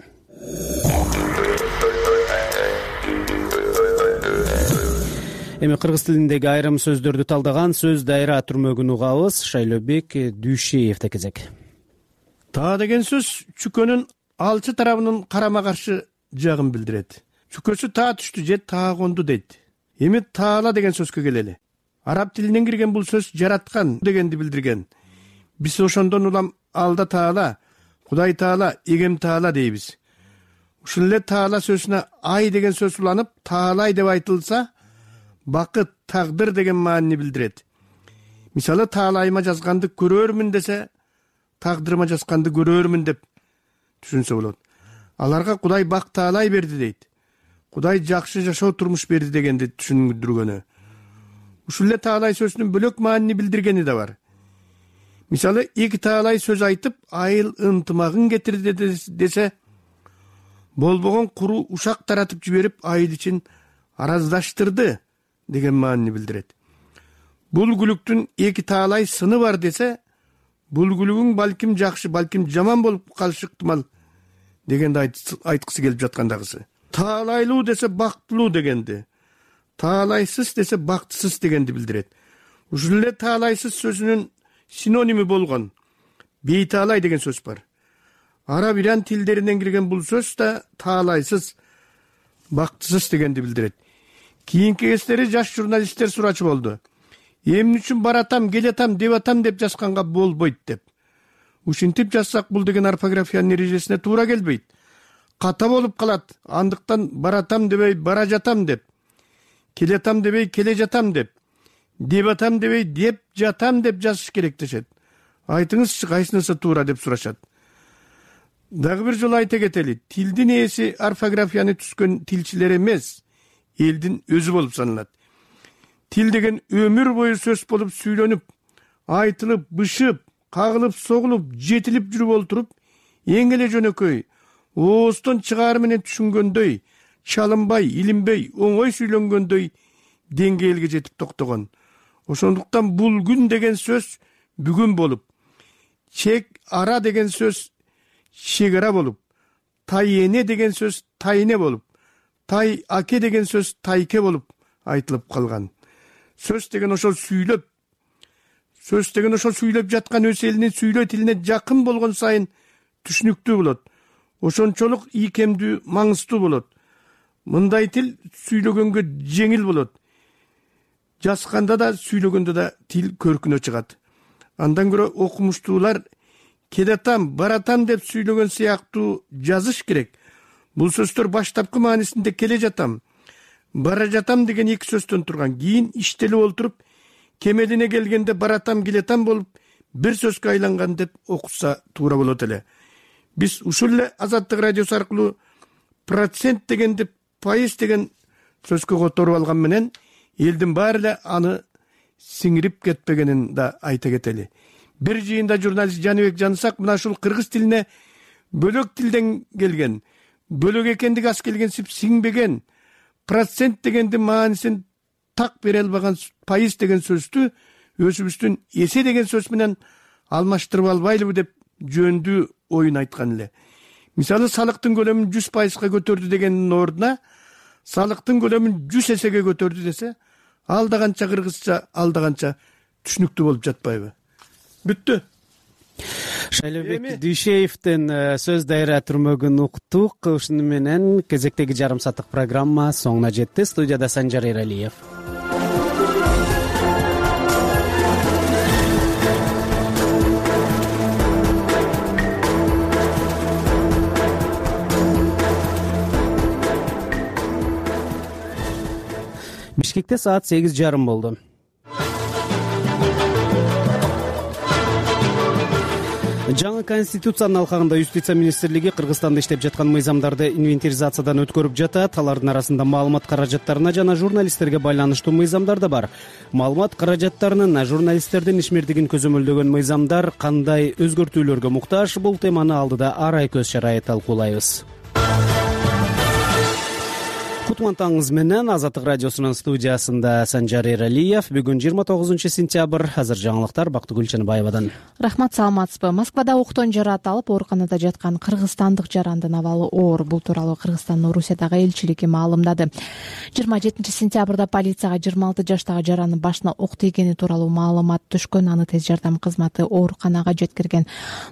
Эми кыргыз тилиндеги айрым сөздөрдү талдаган сөз дайра түрмөгүн угабыз. Шайлообек Дүйшеевде кезек. Таа деген сөз чүкөнүн алчы тарабынын карама каршы жагын билдирет. Чүкөсү таа түштү же таа конду дейт. Эми таала деген сөзгө келели. Араб тилинен кирген бул сөз жараткан дегенди билдирген. Биз ошондон улам алда таала, Кудай таала, эгем таала дейбиз. Ушул эле таала сөзүнө ай деген сөз уланып, таалай деп айтылса, бакыт, тагдыр деген маанини билдирет. Мисалы, таалайыма жазганды көрөрмүн десе, тагдырыма жазганды көрөрмүн деп түшүнсө болот. Аларга Кудай бак таалай берди дейт. Кудай жакшы жашоо турмуш берди дегенди түшүндүргөнү. Ушул эле таалай сөзүнүн бөлөк маанини билдиргени да бар. Мисалы, эки таалай сөз айтып, айыл ынтымагын кетирди десе, болбогон куру ушак таратып жиберип, айыл ичин араздаштырды деген маанини билдирет. Бул күлүктүн эки таалай сыны бар десе, бул күлүгүң балким жакшы, балким жаман болуп калышы ыктымал дегенди айткысы келип жаткандагысы. Таалайлуу десе бактылуу дегенди, таалайсыз десе бактысыз дегенди билдирет. Ушул эле таалайсыз сөзүнүн синоними болгон бейтаалай деген сөз бар. Араб иран тилдеринен кирген бул сөз да таалайсыз, бактысыз дегенди билдирет. Кийинки кездери жаш журналисттер сурачу болду. Эмне үчүн баратам, келатам, деп атам деп жазганга болбойт деп. Ушинтип жазсак бул деген орфографиянын эрежесине туура келбейт. Ката болуп калат. Андыктан баратам дебей бара жатам деп, келатам дебей келе жатам деп, деп атам дебей деп жатам деп жазыш керек дешет. Айтыңызчы кайсынысы туура деп сурашат. Дагы бир жолу айта кетели, тилдин ээси орфографияны түзгөн тилчилер эмес, элдин өзү болуп саналат. Тил деген өмүр бою сөз болуп сүйлөнүп, айтылып, бышып, кагылып, согулуп, жетилип жүрүп олтуруп, эң эле жөнөкөй, ооздон чыгаар менен түшүнгөндөй, чалынбай, илинбей, оңой сүйлөнгөндөй деңгээлге жетип токтогон. Ошондуктан бул күн деген сөз бүгүн болуп, чек ара деген сөз чек ара болуп, тай эне деген сөз тайне болуп, тай аке деген сөз тайке болуп айтылып калган. Сөз деген ошол сүйлөп, сөз деген ошол сүйлөп жаткан өз элинин сүйлөө тилине жакын болгон сайын түшүнүктүү болот. Ошончолук ийкемдүү, маңыздуу болот. Мындай тил сүйлөгөнгө жеңил болот. Жазганда да, сүйлөгөндө да тил көркүнө чыгат. Андан көрө окумуштуулар келатам, баратам деп сүйлөгөн сыяктуу жазыш керек. Бул сөздөр баштапкы маанисинде келе жатам, бара жатам деген эки сөздөн турган. Кийин иштелип олтуруп, кемелине келгенде баратам, келетам болуп, бир сөзгө айланган деп окутса туура болот эле. Биз ушул эле Азаттык радиосу аркылуу процент дегенди пайыз деген сөзгө которуп алган менен элдин баары эле аны сиңирип кетпегенин да айта кетели. Бир жыйында журналист Жаныбек Жанысак мына ушул кыргыз тилине бөлөк тилден келген, бөлөк экендиги аз келгенсип сиңбеген, процент дегендин маанисин так бере албаган, пайыз деген сөздү өзүбүздүн эсе деген сөз менен алмаштырып албайлыбы деп жөндүү оюн айткан эле. Мисалы салыктын көлөмүн жүз пайызга көтөрдү дегендин ордуна салыктын көлөмүн жүз эсеге көтөрдү десе, ал да канча кыргызча, ал да канча түшүнүктүү болуп жатпайбы? Бүттү. Шайлообек Дүйшеевдин сөз дайра түрмөгүн уктук. Ушуну менен кезектеги жарым сааттык программа соңуна жетти. Студияда Санжар Эралиев. Бишкекте саат сегиз жарым болду. Жаңы конституциянын алкагында Юстиция министрлиги Кыргызстанда иштеп жаткан мыйзамдарды инвентаризациядан өткөрүп жатат. Алардын арасында маалымат каражаттарына жана журналисттерге байланыштуу мыйзамдар да бар. Маалымат каражаттарынын журналисттердин ишмердигин көзөмөлдөгөн мыйзамдар кандай өзгөртүүлөргө муктаж? Бул теманы алдыда арай көз чарайы талкуулайбыз. Кутмантаңыз менен Азаттык радиосунун студиясында Санжар Эралиев. Бүгүн жыйырма тогузунчу сентябрь. Азыр жаңылыктар Бактыгүл Чыныбаевадан. Рахмат, саламатсызбы? Москвада октон жаратылып, ооруканада жаткан кыргызстандык жарандын абалы оор. Бул тууралуу Кыргызстандын Орусиядагы элчилиги маалымдады. жыйырма жетинчи сентябрда полицияга жыйырма алты жаштагы жарандын башына ок тийгени тууралуу маалымат түшкөн. Аны тез жардам кызматы ооруканага жеткирген.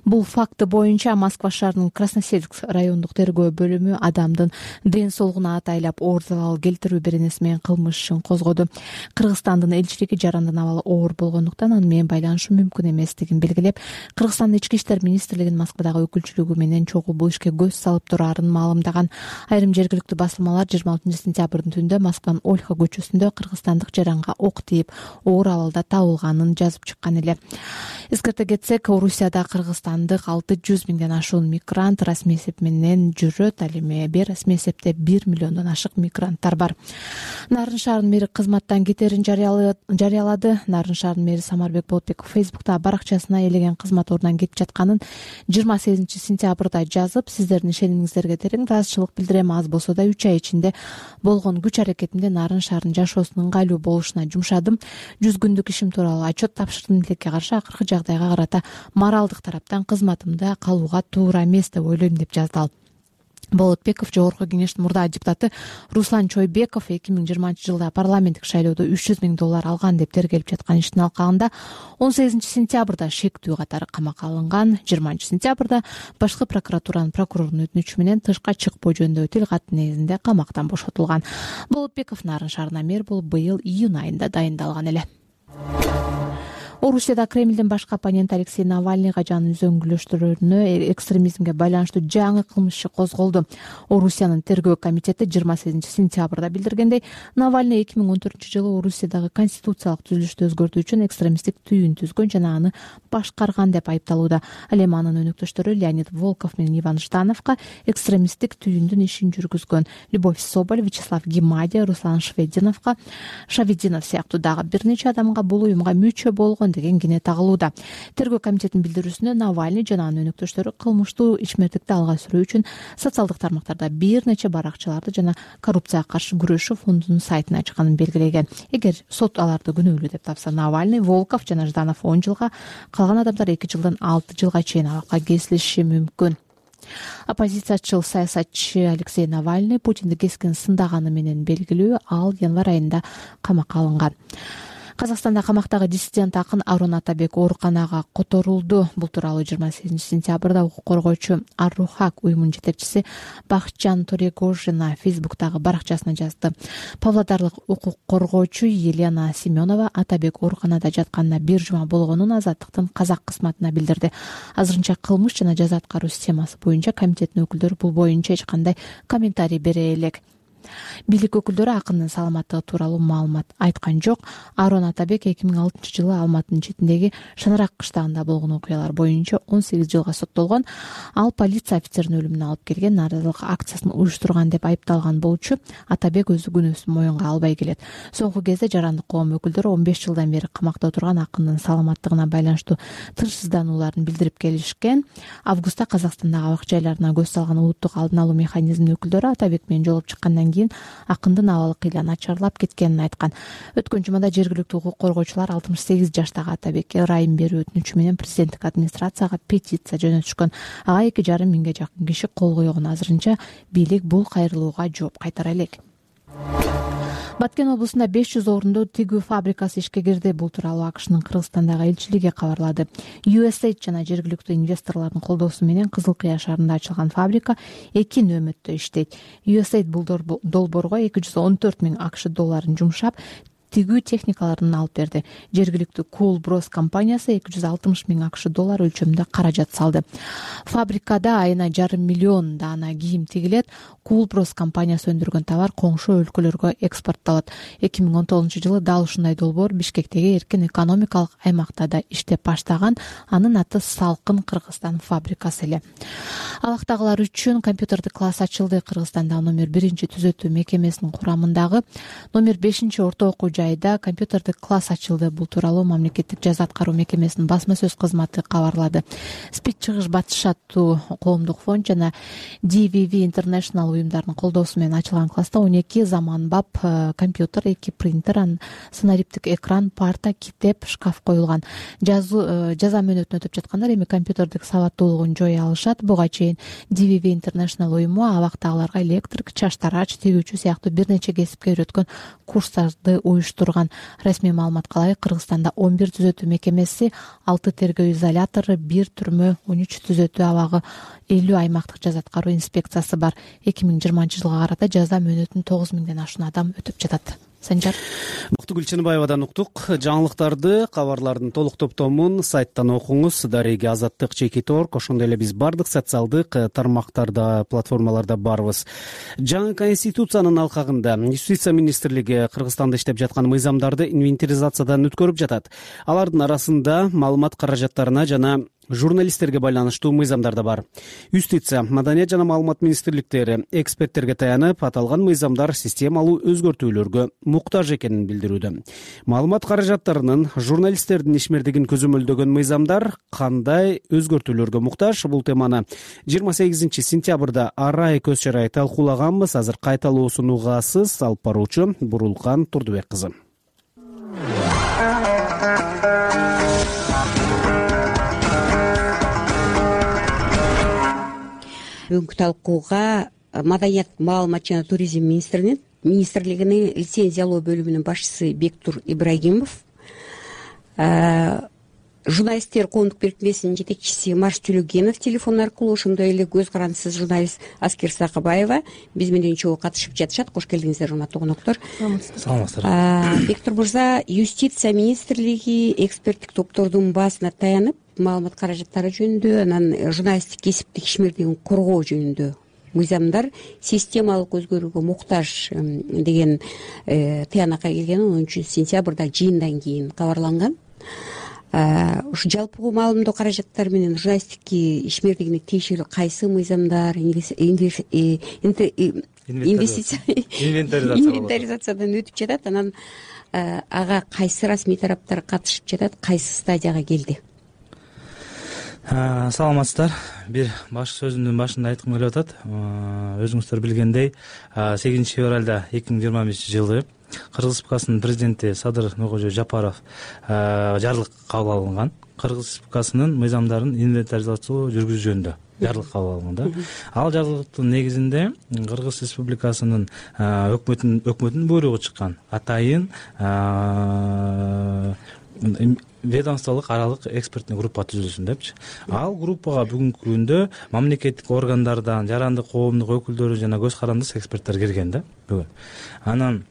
Бул факты боюнча Москва шаарынын Красносельск райондук тергөө бөлүмү адамдын ден соолугуна атайлап оор залал келтирүү беренеси менен кылмыш ишин козгоду. Кыргызстандын элчилиги жарандын абалы оор болгондуктан аны менен байланышуу мүмкүн эместигин белгилеп, Кыргызстандын ички иштер министрлигинин Москвадагы өкүлчүлүгү менен чогуу бул ишке көз салып турарын маалымдаган. Айрым жергиликтүү басылмалар жыйырма алтынчы сентябрдын түндө Москванын Ольха көчөсүндө кыргызстандык жаранга ок тийип, оор абалда табылганын жазып чыккан эле. Эскерте кетсек, Орусияда кыргызстандык алты жүз миңден ашуун мигрант расмий эсеп менен жүрөт. Ал эми бейрасмий эсепте бир миллиондон ашык мигранттар бар. Нарын шаарынын мэри кызматтан кетерин жарыялады. Нарын шаарынын мэри Самарбек Болотбеков Фейсбукта баракчасына элеген кызмат ордунан кетип жатканын жыйырма сегизинчи сентябрда жазып, сиздердин ишенимиңиздерге терең ыраазычылык билдирем. Аз болсо да үч ай ичинде болгон күч аракетимде Нарын шаарынын жашоосунун ыңгайлуу болушуна жумшадым. жүз күндүк ишим тууралуу отчет тапшырдым. Тилекке каршы акыркы жагдайга карата моралдык тараптан кызматымда калууга туура эмес деп ойлойм, деп жазды ал. Болотбеков Жогорку кеңештин мурдагы депутаты Руслан Чойбеков эки миң жыйырманчы жылда парламенттик шайлоодо үч жүз миң доллар алган деп тергелип жаткан иштин алкагында он сегизинчи сентябрда шектүү катары камакка алынган. жыйырманчы сентябрда башкы прокуратуранын прокурорунун өтүнүчү менен тышка чыкпоо жөнүндөгү тил кат негизинде камактан бошотулган. Болотбеков Нарын шаарына мэр болуп быйыл июнь айында дайындалган эле. Орусияда Кремлдин башкы оппоненти Алексей Навальныйга жана үзөңгүлөштөрүнө экстремизмге байланыштуу жаңы кылмыш иши козголду. Орусиянын тергөө комитети жыйырма сегизинчи сентябрда билдиргендей, Навальный эки миң он төртүнчү жылы Орусиядагы конституциялык түзүлүштү өзгөртүү үчүн экстремисттик түйүн түзгөн жана аны башкарган деп айыпталууда. Ал эми анын өнөктөштөрү Леонид Волков менен Иван Ждановго экстремисттик түйүндүн ишин жүргүзгөн. Любовь Соболь, Вячеслав Гемадия, Руслан Швединовго, Шавидинов сыяктуу дагы бир нече адамга бул уюмга мүчө болгон деген кине тагылууда. Тергөө комитетинин билдирүүсүндө Навальный жана анын өнөктөштөрү кылмыштуу ичмердикти алга сүрүү үчүн социалдык тармактарда бир нече баракчаларды жана коррупцияга каршы күрөшүү фондунун сайтын ачканын белгилеген. Эгер сот аларды күнөөлүү деп тапса, Навальный, Волков жана Жданов он жылга, калган адамдар эки жылдан алты жылга чейин абакка кесилиши мүмкүн. Оппозициячыл саясатчы Алексей Навальный Путинди кескин сындаганы менен белгилүү. Ал январь айында камакка алынган. Казакстанда камактагы диссидент акын Арон Атабек ооруканага которулду. Бул тууралуу жыйырма сегизинчи сентябрда укук коргоочу Ар-Рухак уюмунун жетекчиси Бакытжан Торегожина Фейсбуктагы баракчасына жазды. Павлодарлык укук коргоочу Елена Семенова Атабек ооруканада жатканына бир жума болгонун Азаттыктын казак кызматына билдирди. Азырынча кылмыш жана жаза аткаруу системасы боюнча комитеттин өкүлдөрү бул боюнча эч кандай комментарий бере элек. бийлик өкүлдөрү акындын саламаттыгы тууралуу маалымат айткан жок. Арон Атабек эки миң алтынчы жылы Алматынын четиндеги Шанарак кыштагында болгон окуялар боюнча он сегиз жылга соттолгон. Ал полиция офицеринин өлүмүнө алып келген нааразылык акциясын уюштурган деп айыпталган болчу. Атабек өзү күнөөсүн моюнга албай келет. Соңку кезде жарандык коом өкүлдөрү он беш жылдан бери камакта отурган акындын саламаттыгына байланыштуу тынчсызданууларын билдирип келишкен. Августта Казакстандагы абак жайларына көз салган улуттук алдын алуу механизминин өкүлдөрү Атабек менен жолугуп чыккандан кийин акындын абалы кыйла начарлап кеткенин айткан. Өткөн жумада жергиликтүү укук коргоочулар алтымыш сегиз жаштагы Атабекке ырайым берүү өтүнүчү менен президенттик администрацияга петиция жөнөтүшкөн. Ага эки жарым миңге жакын киши кол койгон. Азырынча бийлик бул кайрылууга жооп кайтара элек. Баткен облусунда беш жүз орундуу тигүү фабрикасы ишке кирди. Бул тууралуу АКШнын Кыргызстандагы элчилиги кабарлады. ю эс эйд жана жергиликтүү инвесторлордун колдоосу менен Кызыл Кыя шаарында ачылган фабрика эки нөөмөттө иштейт. ю эс эйд бул долбоорго эки жүз он төрт миң АКШ долларын жумшап, тигүү техникаларын алып берди. Жергиликтүү Cool Bros компаниясы эки жүз алтымыш миң АКШ доллар өлчөмүндө каражат салды. Фабрикада айына жарым миллион даана кийим тигилет. Cool Bros компаниясы өндүргөн товар коңшу өлкөлөргө экспорттолот. эки миң он тогузунчу жылы дал ушундай долбоор Бишкектеги эркин экономикалык аймакта да иштеп баштаган. Анын аты Салкын Кыргызстан фабрикасы эле. Алактагылар үчүн компьютердик класс ачылды. Кыргызстанда номер биринчи түзөтүү мекемесинин курамындагы номер бешинчи орто окуу жайда компьютердик класс ачылды. Бул тууралуу мамлекеттик жаза аткаруу мекемесинин басма сөз кызматы кабарлады. Спид чыгыш батыш аттуу коомдук фонд жана ди ви ви International уюмдарынын колдоосу менен ачылган класста он эки заманбап компьютер, эки принтер, санариптик экран, парта, китеп, шкаф коюлган. Жаза мөөнөтүн өтүп жаткандар эми компьютердик сабаттуулугун жое алышат. Буга чейин ди ви ви International уюму абактагыларга электрик, чаштарач, тигүүчү сыяктуу бир нече кесипке үйрөткөн курстарды уюштурган. Расмий маалыматка ылайык Кыргызстанда он бир түзөтүү мекемеси, алты тергөө изолятору, бир түрмө, он үч түзөтүү абагы, элүү аймактык жаза аткаруу инспекциясы бар. эки миң жыйырманчы жылга карата жаза мөөнөтүн тогуз миңден ашуун адам өтүп жатат. Санжар Бактыгүл Чыныбаевадан уктук. Жаңылыктарды, кабарлардын толук топтомун сайттан окуңуз. Дареги Азаттык, Чекит орг, ошондой эле биз бардык социалдык тармактарда, платформаларда барбыз. Жаңы конституциянын алкагында Юстиция министрлиги Кыргызстанда иштеп жаткан мыйзамдарды инвентаризациядан өткөрүп жатат. Алардын арасында маалымат каражаттарына жана журналисттерге байланыштуу мыйзамдар да бар. Юстиция, Маданият жана маалымат министрликтери эксперттерге таянып, аталган мыйзамдар системалуу өзгөртүүлөргө муктаж экенин билдирүүдө. Маалымат каражаттарынын журналисттердин ишмердигин көзөмөлдөгөн мыйзамдар кандай өзгөртүүлөргө муктаж? Бул теманы жыйырма сегизинчи сентябрда арай көз чарай талкуулаганбыз. Азыр кайталоосун угасыз. Алып баруучу Бурулкан Турдубек кызы. Бүгүнкү талкууга Маданият, маалымат жана туризм министринин министрлигинин лицензиялоо бөлүмүнүн башчысы Бектур Ибрагимов, журналисттер коомдук бирикмесинин жетекчиси Марш Төлөгенов телефон аркылуу, ошондой эле көз карандысыз журналист Аскер Сакыбаева биз менен чогуу катышып жатышат. Кош келдиңиздер, урматтуу коноктор. Саламатсыздар. Бектур мырза, Юстиция министрлиги эксперттик топтордун баасына таянып, маалымат каражаттары жөнүндө, анан журналисттик кесиптик ишмердигин коргоо жөнүндө мыйзамдар системалык өзгөрүүгө муктаж деген тыянакка келген он үчүнчү сентябрда жыйындан кийин кабарланган. Ушу жалпы маалымдоо каражаттары менен журналисттик ишмердигине тиешелүү кайсы мыйзамдар инвентаризациядан өтүп жатат, анан ага кайсы расмий тараптар катышып жатат, кайсы стадияга келди? Саламатсыздар. Бир баш сөзүмдүн башында айткым келип атат. Өзүңүздөр билгендей, сегизинчи февралда эки миң жыйырма бешинчи жылы Кыргыз Республикасынын президенти Садыр Нуркожо Жапаров жарлык кабыл алынган. Кыргыз Республикасынын мыйзамдарын инвентаризациялоо жүргүзүү жөнүндө жарлык кабыл алынган да. Ал жарлыктын негизинде Кыргыз Республикасынын өкмөтүнүн өкмөтүнүн буйругу чыккан атайын ведомстволук аралык эксперттик группа түзүлсүн депчи. Ал группага бүгүнкү күндө мамлекеттик органдардан, жарандык коомдук өкүлдөрү жана көз карандысыз эксперттер кирген да бүгүн. Анан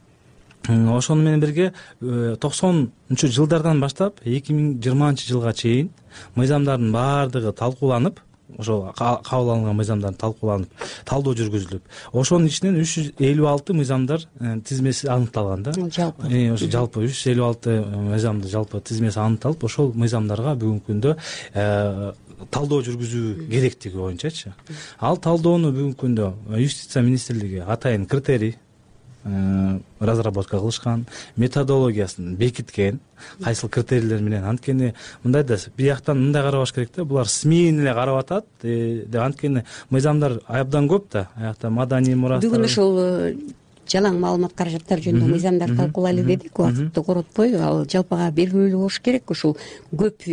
ошону менен бирге токсонунчу жылдардан баштап эки миң жыйырманчы жылга чейин мыйзамдардын баардыгы талкууланып, ошол кабыл алынган мыйзамдар талкууланып талдоо жүргүзүлүп, ошонун ичинен үч жүз элүү алты мыйзамдар тизмеси аныкталган да. Жалпы ошо жалпы үч жүз элүү алты мыйзамды жалпы тизмеси аныкталып, ошол мыйзамдарга бүгүнкү күндө талдоо жүргүзүү керектиги боюнчачы. Ал талдоону бүгүнкү күндө Юстиция министрлиги атайын критерий разработка кылышкан, методологиясын бекиткен, кайсыл критерийлер менен. Анткени мындай да бияктан мындай карабаш керек да, булар СМИни эле карап атат деп. Анткени мыйзамдар абдан көп да, аякта маданий мурастар. Бүгүн ошол жалаң маалымат каражаттары жөнүндө мыйзамдарды талкуулайлы дедик, убакытты коротпой. Ал жалпыга белгилүү болуш керек. Ушул көп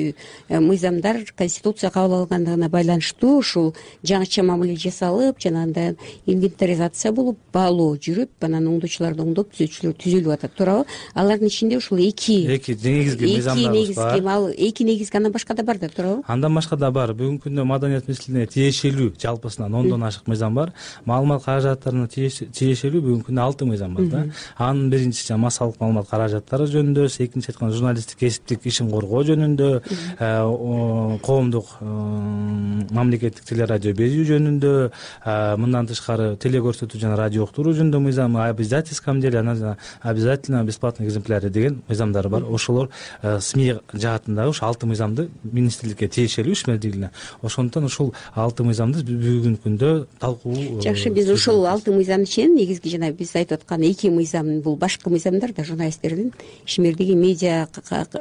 мыйзамдар Конституция кабыл алынгандыгына байланыштуу ушул жаңыча мамиле жасалып, жанагындай инвентаризация болуп, баалоо жүрүп, анан оңдоочуларды оңдоп, түзөчүлөр түзүлүп атат, туурабы? Алардын ичинде ушул эки эки негизги мыйзамдарыбыз бар. Ал эки негизги, андан башка да бар да, туурабы? Андан башка да бар. Бүгүнкү күндө Маданият министрлигине тиешелүү жалпысынан ондон ашык мыйзам бар. Маалымат каражаттарына тиешелүү бүгүнкү күндө алты мыйзам бар да. Анын биринчиси массалык маалымат каражаттары жөнүндө, экинчи айткан журналисттик кесиптик ишин коргоо жөнүндө, коомдук мамлекеттик телерадио берүү жөнүндө, мындан тышкары телекөрсөтүү жана радио уктуруу жөнүндө мыйзам, обязательском деле, анан обязательно бесплатный экземпляры деген мыйзамдар бар. Ошолор СМИ жаатындагы ушу алты мыйзамды министрликке тиешелүү ишмердүүлүгүнө. Ошондуктан ушул алты мыйзамды бүгүнкү күндө талкуу. Жакшы, биз ушул алты мыйзамдын ичинен негизги жана биз айтып аткан эки мыйзам, бул башкы мыйзамдар да, журналисттердин ишмердиги медиа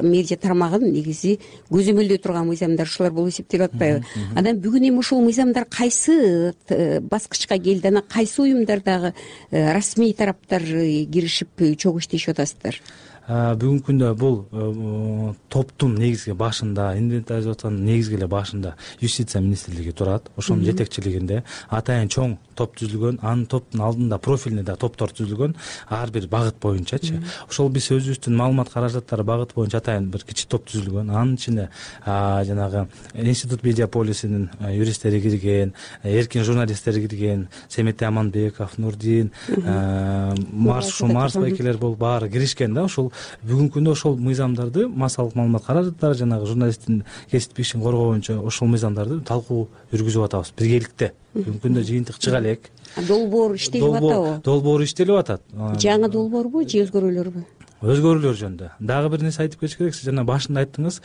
медиа тармагын негизи көзөмөлдөй турган мыйзамдар, ушулар болуп эсептелип атпайбы? Анан бүгүн эми ушул мыйзамдар кайсы баскычка келди? Анан кайсы уюмдардагы расмий тараптар киришип чогуу иштешип атасыздар? Бүгүнкү күндө бул топтун негизги башында, инвентаризациянын негизги эле башында Юстиция министрлиги турат. Ошонун жетекчилигинде атайын чоң топ түзүлгөн, анын топтун алдында профильный да топтор түзүлгөн, ар бир багыт боюнчачы. Ошол биз өзүбүздүн маалымат каражаттары багыты боюнча атайын бир кичи топ түзүлгөн. Анын ичинде жанагы Институт медиаполисинин юристтери кирген, эркин журналисттер кирген, Семетей Аманбеков, Нурдин, Марс Шумарс байкелер болуп баары киришкен да. Ошол бүгүнкү күндө ошол мыйзамдарды, массалык маалымат каражаттары, жанагы журналисттин кесиптик ишин коргоо боюнча ошол мыйзамдарды талкуу жүргүзүп атабыз биргеликте. Бүгүнкү күндө жыйынтык чыга элек. Долбоор иштелип атабы? Долбоор иштелип атат. Жаңы долбоорбу же өзгөрүүлөрбү? Өзгөрүүлөр жөнүндө. Дагы бир нерсе айтып кетиш керек. Сиз жана башында айттыңыз,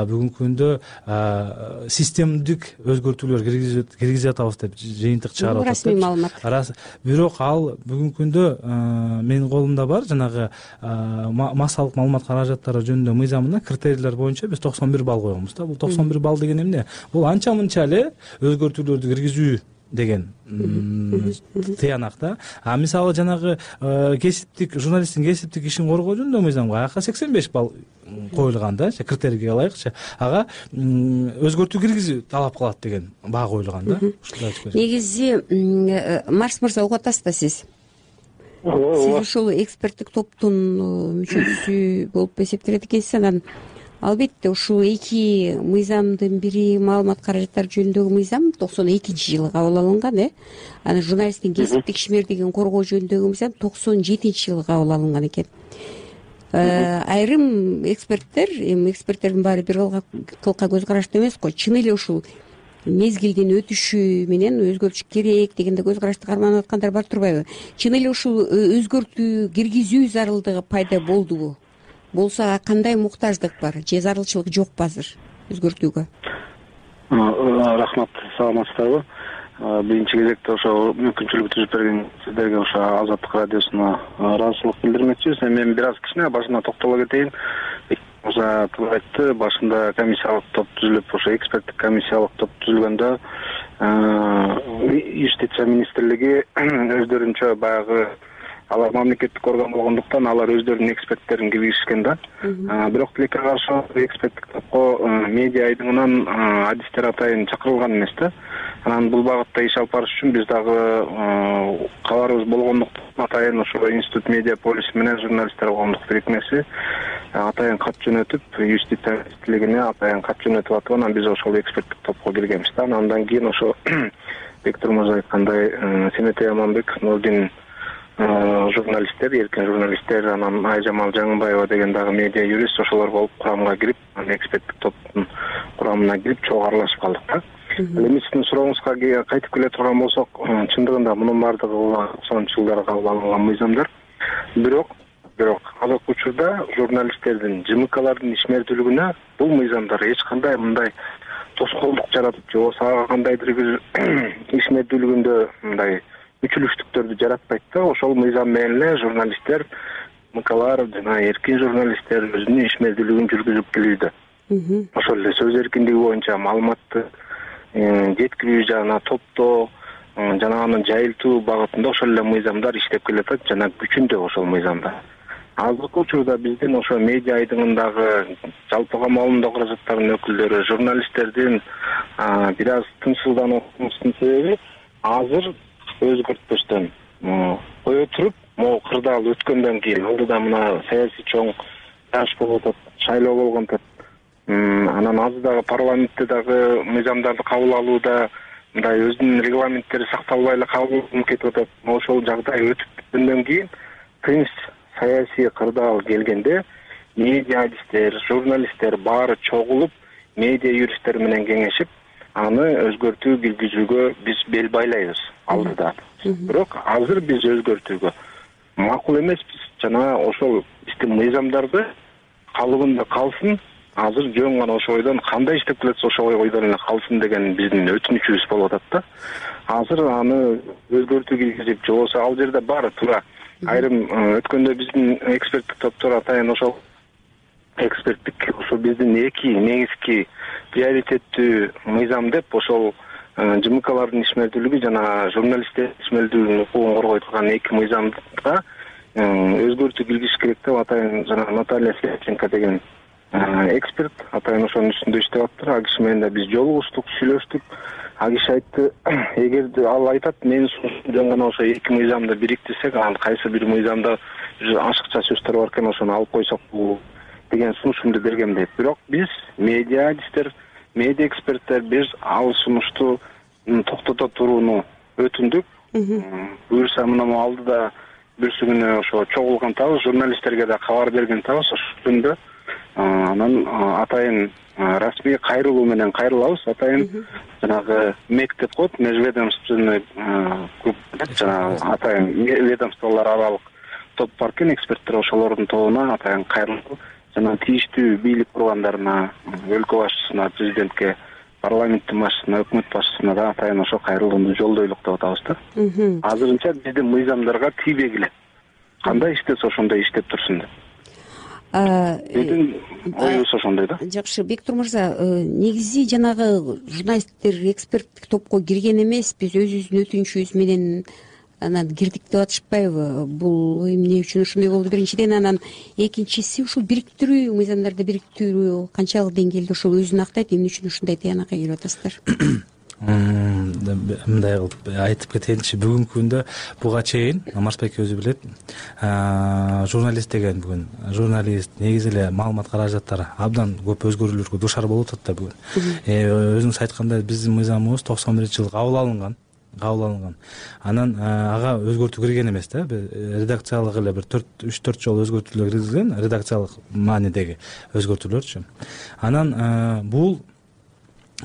бүгүнкү күндө системдик өзгөртүүлөр киргизип атабыз деп жыйынтык чыгарып атат. Расмий маалымат. Бирок ал бүгүнкү күндө менин колумда бар, жанагы массалык маалымат каражаттары жөнүндө мыйзамына критерийлер боюнча биз токсон бир балл койгонбуз да. Бул токсон бир балл деген эмне? Бул анча мынча эле өзгөртүүлөрдү киргизүү деген тыянак да. А мисалы жанагы кесиптик журналисттин кесиптик ишин коргоо жөнүндө мыйзамга ага сексен беш балл коюлган да, критерийге ылайыкчы. Ага өзгөртүү киргизүү талап кылат деген баа коюлган да. Негизи Марс мырза угуп атасыз да сиз? Сиз ушул эксперттик топтун мүчөсү болуп эсептелет экенсиз. Анан албетте ушул эки мыйзамдын бири маалымат каражаттары жөнүндөгү мыйзам токсон экинчи жылы кабыл алынган, э? Анан журналисттин кесиптик ишмердигин коргоо жөнүндөгү мыйзам токсон жетинчи жылы кабыл алынган экен. Айрым эксперттер, эми эксперттердин баары бир кылка көз караштуу эмес го, чын эле ушул мезгилдин өтүшү менен өзгөртүш керек дегенде көз карашты карманып аткандар бар турбайбы? Чын эле ушул өзгөртүү киргизүү зарылдыгы пайда болдубу? Болсо кандай муктаждык бар же зарылчылык жокпу азыр өзгөртүүгө? Рахмат, саламатсыздарбы? Биринчи кезекте ошо мүмкүнчүлүк түзүп берген сиздерге ошо Азаттык радиосуна ыраазычылык билдирмекчибиз. Мен бир аз кичине башына токтоло кетейин. Мырза туура айтты, башында комиссиялык топ түзүлүп, ошо эксперттик комиссиялык топ түзүлгөндө Юстиция министрлиги өздөрүнчө баягы алар мамлекеттик орган болгондуктан алар өздөрүнүн эксперттерин киргизишкен да. Бирок тилекке каршы эксперттик топко медиа айдыңынан адистер атайын чакырылган эмес да. Анан бул багытта иш алып барыш үчүн биз дагы кабарыбыз болгондуктан атайын ошо Институт медиаполис менен журналисттер коомдук бирикмеси атайын кат жөнөтүп, Юстиция министрлигине атайын кат жөнөтүп атып, анан биз ошол эксперттик топко киргенбиз да. Андан кийин ошо Бектур мырза айткандай Семетей Аманбеков, Нурдин журналисттер, эркин журналисттер, анан Айжамал Жаңыбаева деген дагы медиа юрист ошолор болуп курамга кирип, эксперттик топтун курамына кирип чогуу аралашып калдык да. ал эми сиздин сурооңузга кайтып келе турган болсок, чындыгында мунун баардыгы токсонунчу жылдары кабыл алынган мыйзамдар. Бирок бирок азыркы учурда журналисттердин, ЖМКлардын ишмердүүлүгүнө бул мыйзамдар эч кандай мындай тоскоолдук жаратып, же болбосо ага кандайдыр бир ишмердүүлүгүндө мындай үчүлүштүктөрдү жаратпайт да. Ошол мыйзам менен эле журналисттер, ЖМКлар жана эркин журналисттер өзүнүн ишмердүүлүгүн жүргүзүп келүүдө. Ошол эле сөз эркиндиги боюнча маалыматты жеткирүү жана топтоо жана аны жайылтуу багытында ошол эле мыйзамдар иштеп келатат жана күчүндө ошол мыйзамдар. Азыркы учурда биздин ошо медиа айдыңындагы жалпы камалымдоо каражаттарынын өкүлдөрү, журналисттердин бир аз тынчсыздануусунун себеби азыр өзгөртпөстөн кое туруп, могу кырдаал өткөндөн кийин алдыда мына саясий чоң жаш болуп атат, шайлоо болгон атат. Анан азыр дагы парламентте дагы мыйзамдарды кабыл алууда мындай өзүнүн регламенттери сакталбай эле кабыл болуп кетип атат. Ошол жагдай өтүп бүткөндөн кийин тынч саясий кырдаал келгенде медиа адистер, журналисттер баары чогулуп, медиа юристтер менен кеңешип, аны өзгөртүү киргизүүгө биз бел байлайбыз алдыда. Бирок азыр биз өзгөртүүгө макул эмеспиз. Жана ошол биздин мыйзамдарды калыбында калсын, азыр жөн гана ошол ойдон кандай иштеп келатса ошол ойдон эле калсын деген биздин өтүнүчүбүз болуп атат да. Азыр аны өзгөртүү киргизип, же болбосо ал жерде баары туура айрым өткөндө биздин эксперттик топтор атайын ошол эксперттик ошо биздин эки негизги приоритеттүү мыйзам деп ошол ЖМКлардын ишмердүүлүгү жана журналисттердин ишмердүүлүгүнүн укугун коргой турган эки мыйзамга өзгөртүү киргизиш керек деп атайын жана Наталья Слепченко деген эксперт атайын ошонун үстүндө иштеп атыптыр. Ал киши менен да биз жолугуштук, сүйлөштүк. Ал киши айтты, эгерде ал айтат, менин сунушум жөн гана ошо эки мыйзамды бириктирсек, анан кайсы бир мыйзамда ашыкча сөздөр бар экен, ошону алып койсок деген сунушумду бергем дейт. Бирок биз медиа адистер, медиа эксперттер биз ал сунушту токтото турууну өтүндүк. Буюрса мына алдыда бүрсү күнү ошо чогулган атабыз, журналисттерге да кабар берген атабыз ошол күндө. Анан атайын расмий кайрылуу менен кайрылабыз. Атайын жанагы МЭК деп коет, межведомственный клуб деп, жана атайын ведомстволор аралык топ бар экен, эксперттер ошолордун тобуна атайын кайрылуу жана тийиштүү бийлик органдарына, өлкө башчысына, президентке, парламенттин башчысына, өкмөт башчысына да атайын ошо кайрылууну жолдойлук деп атабыз да. Азырынча биздин мыйзамдарга тийбегиле. Кандай иштесе ошондой иштеп турсун деп. Биздин оюбуз ошондой да. Жакшы, Бектур мырза, негизи жанагы журналисттер эксперттик топко кирген эмес, биз өзүбүздүн өтүнүчүбүз менен анан кирдик деп атышпайбы? Бул эмне үчүн ушундай болду биринчиден, анан экинчиси ушул бириктирүү, мыйзамдарды бириктирүү канчалык деңгээлде ошол өзүн актайт, эмне үчүн ушундай тыянакка келип атасыздар? Мындай кылып айтып кетейинчи, бүгүнкү күндө буга чейин Марсбек өзү билет, журналист деген бүгүн журналист негизи эле маалымат каражаттары абдан көп өзгөрүүлөргө дуушар болуп атат да бүгүн. Өзүңүз айткандай биздин мыйзамыбыз токсон биринчи жылы кабыл алынган. кабыл алынган. Анан ага өзгөртүү кирген эмес да, редакциялык эле бир төрт үч төрт жолу өзгөртүүлөр киргизген, редакциялык маанидеги өзгөртүүлөрчү. Анан бул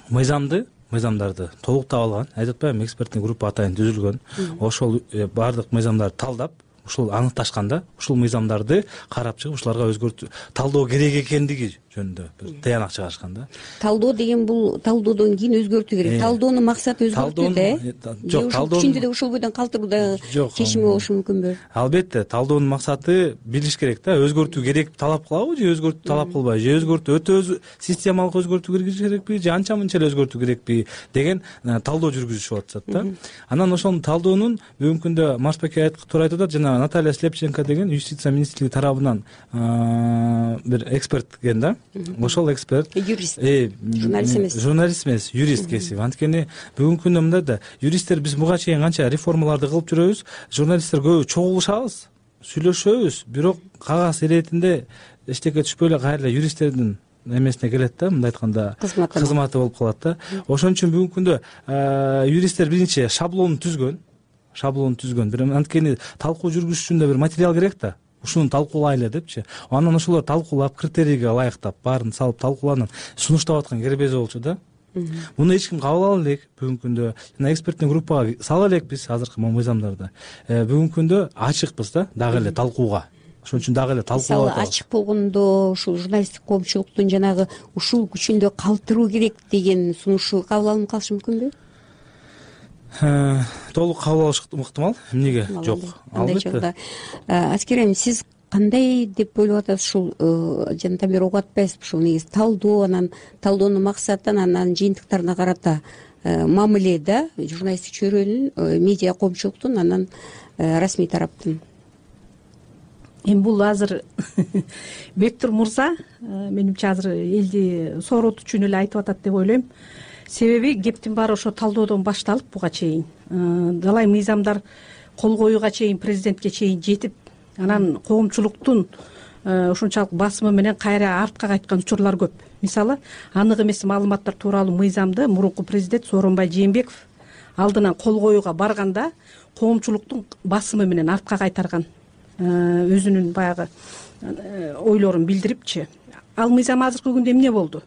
мыйзамды мыйзамдарды толуктап алган, айтып атпаймынбы, эксперттик группа атайын түзүлгөн. Ошол баардык мыйзамдарды талдап, ушул аныкташканда, ушул мыйзамдарды карап чыгып, ушуларга өзгөртүү талдоо керек экендиги жөнүндө бир тыянак чыгарышкан да. Талдоо деген бул талдоодон кийин өзгөртүү керек. Талдоонун максаты өзгөртүү да. Жок, талдоо күчүндө да ушул бойдон калтыруудагы чечими болушу мүмкүнбү? Албетте, талдоонун максаты билиш керек да, өзгөртүү керек талап кылабы же өзгөртүү талап кылбайбы, же өзгөртүү өтө системалык өзгөртүү киргизиш керекпи, же анча мынча эле өзгөртүү керекпи деген талдоо жүргүзүшүп атышат да. Анан ошол талдоонун бүгүнкү күндө Марсбек туура айтып атат, жана Наталья Слепченко деген юстиция министрлиги тарабынан бир эксперт экен да. Ошол эксперт юрист, журналист эмес, журналист эмес, юрист кесип. Анткени бүгүнкү күндө мындай да, юристтер биз буга чейин канча реформаларды кылып жүрөбүз, журналисттер көбү чогулушабыз, сүйлөшөбүз, бирок кагаз иретинде эчтеке түшпөй эле кайра эле юристтердин эмесине келет да, мындай айтканда кызматы болуп калат да. Ошон үчүн бүгүнкү күндө юристтер биринчи шаблонун түзгөн, шаблонун түзгөн. Бир анткени талкуу жүргүзүш үчүн да бир материал керек да. Ушуну талкуулайлы депчи. Анан ошолор талкуулап, критерийге ылайыктап, баарын салып талкууланып, сунуштап аткан кербези болчу да. Муну эч ким кабыл ала элек. Бүгүнкү күндө жана эксперттик группага сала элекпиз азыркы мыйзамдарды. Бүгүнкү күндө ачыкпыз да дагы эле талкууга. Ошон үчүн дагы эле талкуулап атабыз. Ачык болгондо ушул журналисттик коомчулуктун жанагы ушул күчүндө калтыруу керек деген сунушу кабыл алынып калышы мүмкүнбү? Толук кабыл алыш ыктымал. Эмнеге жок? Албетте. Аскерем, сиз кандай деп ойлоп атасыз? Ушул жанатан бери угуп атпайсызбы? Ушул негизи талдоо, анан талдоонун максатын, анан жыйынтыктарына карата мамиле да, журналисттик чөйрөнүн, медиа коомчулуктун, анан расмий тараптын. Эми бул азыр Бектур мырза менимче азыр элди сооротуу үчүн эле айтып атат деп ойлойм. Себеби кептин баары ошо талдоодон башталып буга чейин далай мыйзамдар кол коюуга чейин президентке чейин жетип, анан коомчулуктун ушунчалык басымы менен кайра артка кайткан учурлар көп. Мисалы, анык эмес маалыматтар тууралуу мыйзамды мурунку президент Сооронбай Жээнбеков алдынан кол коюуга барганда коомчулуктун басымы менен артка кайтарган, өзүнүн баягы ойлорун билдирипчи. Ал мыйзам азыркы күндө эмне болду?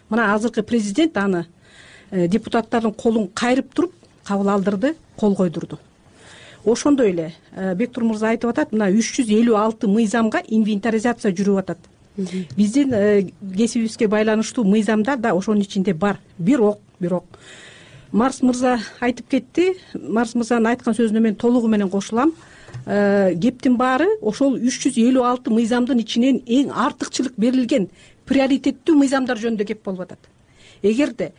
Мына азыркы президент аны депутаттардын колун кайрып туруп кабыл алдырды, кол койдурду. Ошондой эле Бектур мырза айтып атат, мына үч жүз элүү алты мыйзамга инвентаризация жүрүп атат. Биздин кесибибизге байланыштуу мыйзамдар да ошонун ичинде бар. Бирок, бирок Марс мырза айтып кетти. Марс мырзанын айткан сөзүнө мен толугу менен кошулам. Кептин баары ошол үч жүз элүү алты мыйзамдын ичинен эң артыкчылык берилген приоритеттүү мыйзамдар жөнүндө кеп болуп атат. Эгерде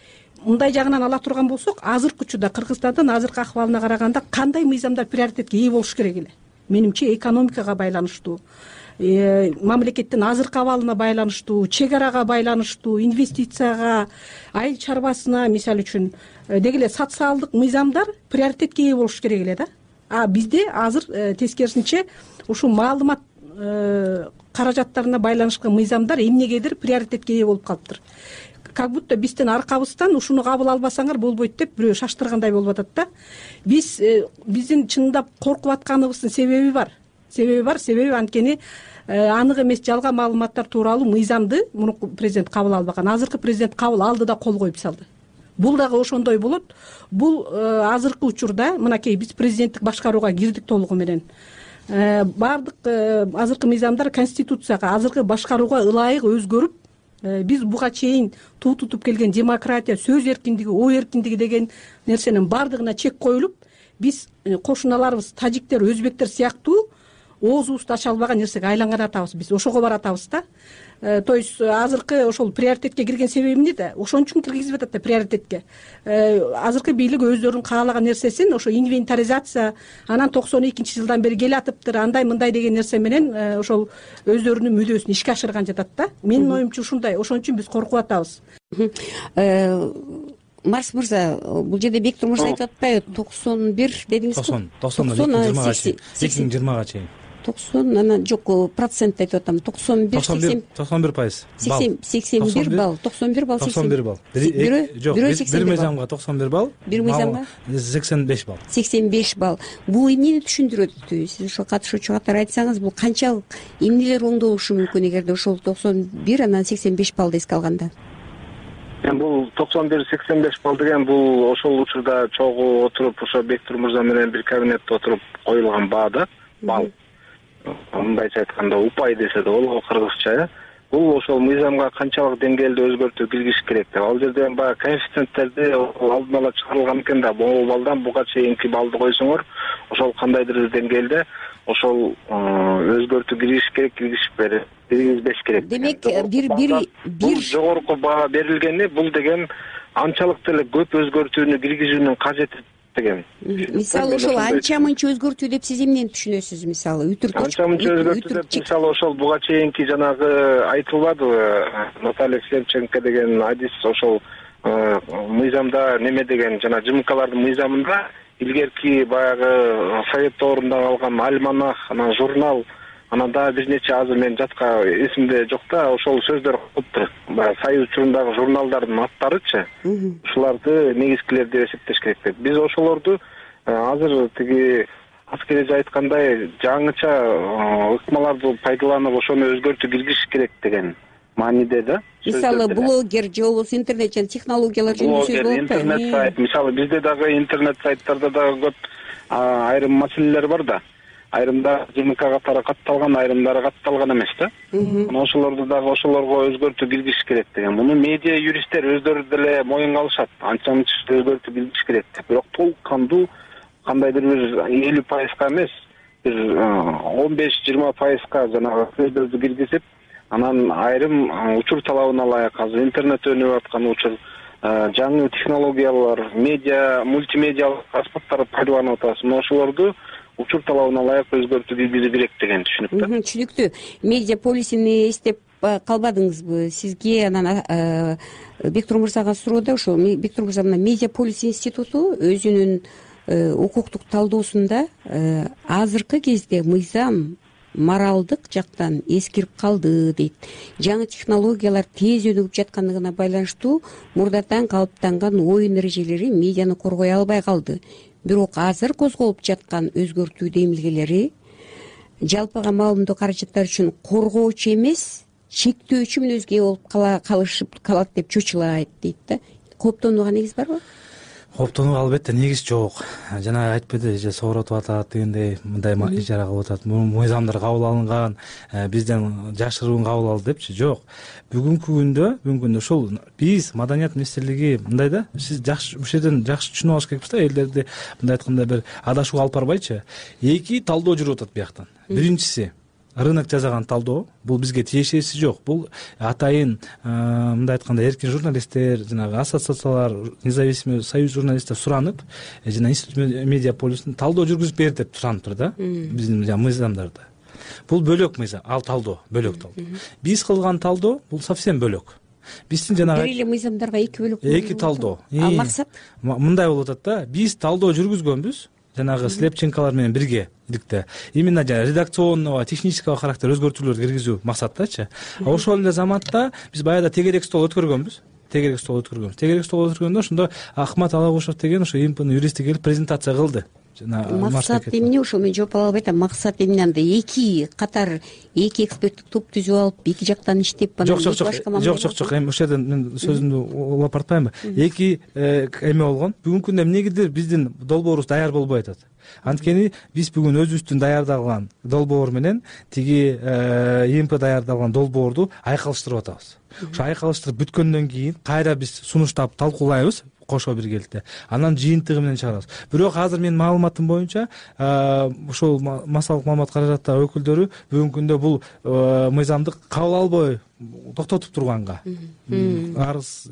мындай жагынан ала турган болсок, азыркы учурда Кыргызстандын азыркы акыбалына караганда кандай мыйзамдар приоритетке ээ болуш керек эле? Менимче экономикага байланыштуу, мамлекеттин азыркы абалына байланыштуу, чек арага байланыштуу, инвестицияга, айыл чарбасына, мисалы үчүн деги эле социалдык мыйзамдар приоритетке ээ болуш керек эле да. А бизде азыр тескерисинче ушул маалымат каражаттарына байланышкан мыйзамдар эмнегедир приоритетке ээ болуп калыптыр. Как будто биздин аркабыздан ушуну кабыл албасаңар болбойт деп бирөө шаштыргандай болуп атат да. Биз биздин чындап коркуп атканыбыздын себеби бар. Себеби бар, себеби анткени анык эмес жалган маалыматтар тууралуу мыйзамды мурунку президент кабыл албаган. Азыркы президент кабыл алды да кол коюп салды. Бул дагы ошондой болот. Бул азыркы учурда мынакей биз президенттик башкарууга кирдик толугу менен. Бардык азыркы мыйзамдар конституцияга, азыркы башкарууга ылайык өзгөрүп, биз буга чейин туу тутуп келген демократия, сөз эркиндиги, ой эркиндиги деген нерсенин бардыгына чек коюлуп, биз кошуналарыбыз тажиктер, өзбектер сыяктуу оозубузду ача албаган нерсеге айланган атабыз. Биз ошого баратабыз да. То есть азыркы ошол приоритетке кирген себеби эмне да? Ошон үчүн киргизип атат да приоритетке. Азыркы бийлик өздөрүнүн каалаган нерсесин ошо инвентаризация, анан токсон экинчи жылдан бери келатыптыр, андай мындай деген нерсе менен ошол өздөрүнүн мүдөөсүн ишке ашырган жатат да. Менин оюмча ушундай. Ошон үчүн биз коркуп атабыз. Марс мырза, бул жерде Бектур мырза айтып атпайбы? токсон бир дедиңизби? токсон, токсон жыйырмага чейин. эки миң жыйырмага чейин. токсон, анан жок, процент айтып атам. токсон бир, токсон бир пайыз. сексен бир балл, токсон бир балл, токсон бир балл. Жок, бир мыйзамга токсон бир балл, бир мыйзамга сексен беш балл. сексен беш балл. Бул эмнени түшүндүрөт? Сиз ошо катышуучу катары айтсаңыз, бул канчалык эмнелер оңдолушу мүмкүн эгерде ошол токсон бир анан сексен беш баллды эске алганда? Бул токсон бир сексен беш балл деген бул ошол учурда чогуу отуруп, ошо Бектур мырза менен бир кабинетте отуруп коюлган баа да, балл. Мындайча айтканда упай десе да болот кыргызча. Бул ошол мыйзамга канчалык деңгээлде өзгөртүү киргизиш керек деп. Ал жерде баягы коэффициенттерди алдын ала чыгарылган экен да, могу балдан буга чейинки балды койсоңор, ошол кандайдыр деңгээлде ошол өзгөртүү киргизиш керек, киргизишпери, киргизбеш керек. Демек, бир бир бир жогорку баа берилгени, бул деген анчалык деле көп өзгөртүүнү киргизүүнүн кажети деген. Мисалы ошол анча мынча өзгөртүү деп сиз эмнени түшүнөсүз? Мисалы үтүр анча мынча өзгөртүү деп мисалы ошол буга чейинки жанагы айтылбадыбы, Наталья Шевченко деген адис ошол мыйзамда неме деген жана ЖМКлардын мыйзамында илгерки баягы совет доорунда калган альманах, анан журнал, анан дагы бир нече азыр мен жатка эсимде жок да, ошол сөздөр коюптур. Баягы союз учурундагы журналдардын аттарычы. Ушуларды негизгилер деп эсептеш керек деп. Биз ошолорду азыр тиги аскереже айткандай жаңыча ыкмаларды пайдаланып ошону өзгөртүү киргизиш керек деген мааниде да. Мисалы блогер же болбосо интернет жана технологиялар жөнүндө сөз болуп атпайбы? Интернет сайт, мисалы бизде дагы интернет сайттарда дагы көп айрым маселелер бар да. Айрымдары ЖМК катары катталган, айрымдары катталган эмес да. Мына ошолорду дагы ошолорго өзгөртүү киргизиш керек деген. Муну медиа юристтер өздөрү деле моюнга алышат. Анча мынча өзгөртүү киргизиш керек деп. Бирок толук кандуу кандайдыр бир элүү пайызга эмес, бир он беш жыйырма пайызга жанагы сөздөрдү киргизип, анан айрым учур талабына ылайык азыр интернет өнүгүп аткан учур, жаңы технологиялар, медиа, мультимедиалык аспаптар пайдаланып атабыз. Мына ошолорду учур талабына ылайык өзгөртүү киргизүү керек деген түшүнүктө. Түшүнүктүү. Медиа полисини эстеп калбадыңызбы? Сизге анан Бектур мырзага суроодо ошол Бектур мырза мына медиа полис институту өзүнүн укуктук талдоосунда азыркы кезде мыйзам моралдык жактан эскирип калды дейт. Жаңы технологиялар тез өнүгүп жаткандыгына байланыштуу мурдатан калыптанган оюн эрежелери медианы коргой албай калды. Бирок азыр козголуп жаткан өзгөртүү демилгелери жалпыга маалымдоо каражаттары үчүн коргоочу эмес, чектөөчү мүнөзгө болуп калышып калат деп чочулайт дейт да. Кооптонууга негиз барбы? Кооптонууга албетте негиз жок. Жана айтпады же сооротуп атат дегендей мындай ижара кылып атат. Мыйзамдар кабыл алынган, бизден жашыруун кабыл алды депчи. Жок. Бүгүнкү күндө, бүгүнкү күндө ушул биз Маданият министрлиги мындай да, сиз жакшы ушул жерден жакшы түшүнүп алыш керекпиз да, элдерди мындай айтканда бир адашууга алып барбайчы. Эки талдоо жүрүп атат бияктан. Биринчиси рынок жасаган талдоо, бул бизге тиешеси жок. Бул атайын мындай айтканда эркин журналисттер, жанагы ассоциациялар, независимый союз журналисттер суранып, жана институт медиа полистин талдоо жүргүзүп бер деп сураныптыр да, биздин мыйзамдарда. Бул бөлөк мыйзам, ал талдоо бөлөк талдоо. Биз кылган талдоо бул совсем бөлөк. Биздин жанагы бир эле мыйзамдарга эки бөлөк. Эки талдоо. Ал максат мындай болуп атат да, биз талдоо жүргүзгөнбүз. Жанагы слепченкалар менен бирге иликте. Именно жана редакционного, технического характер өзгөртүүлөрдү киргизүү максаттачы. Ошол эле заматта биз баягыда тегерек стол өткөргөнбүз. Тегерек стол өткөргөнбүз. Тегерек стол өткөргөндө ошондо Акмат Алагушев деген ошо ИМПнын юристи келип презентация кылды. Максат эмне ошол мен жооп ала албай атам. Максат эмне анда эки катар эки эксперттик топ түзүп алып, эки жактан иштеп анан жок жок жок жок жок эми ошол жерден мен сөзүмдү улап бартпаймынбы? Эки эме болгон. Бүгүнкү күндө эмнегедир биздин долбоорубуз даяр болбой атат. Анткени биз бүгүн өзүбүздүн даярдалган долбоор менен тиги ИМП даярдалган долбоорду айкалыштырып атабыз. Ошо айкалыштырып бүткөндөн кийин кайра биз сунуштап талкуулайбыз кошо биргеликте. Анан жыйынтыгы менен чыгарабыз. Бирок азыр менин маалыматым боюнча ошол массалык маалымат каражаттагы өкүлдөрү бүгүнкү күндө бул мыйзамды кабыл албай токтотуп турганга арыз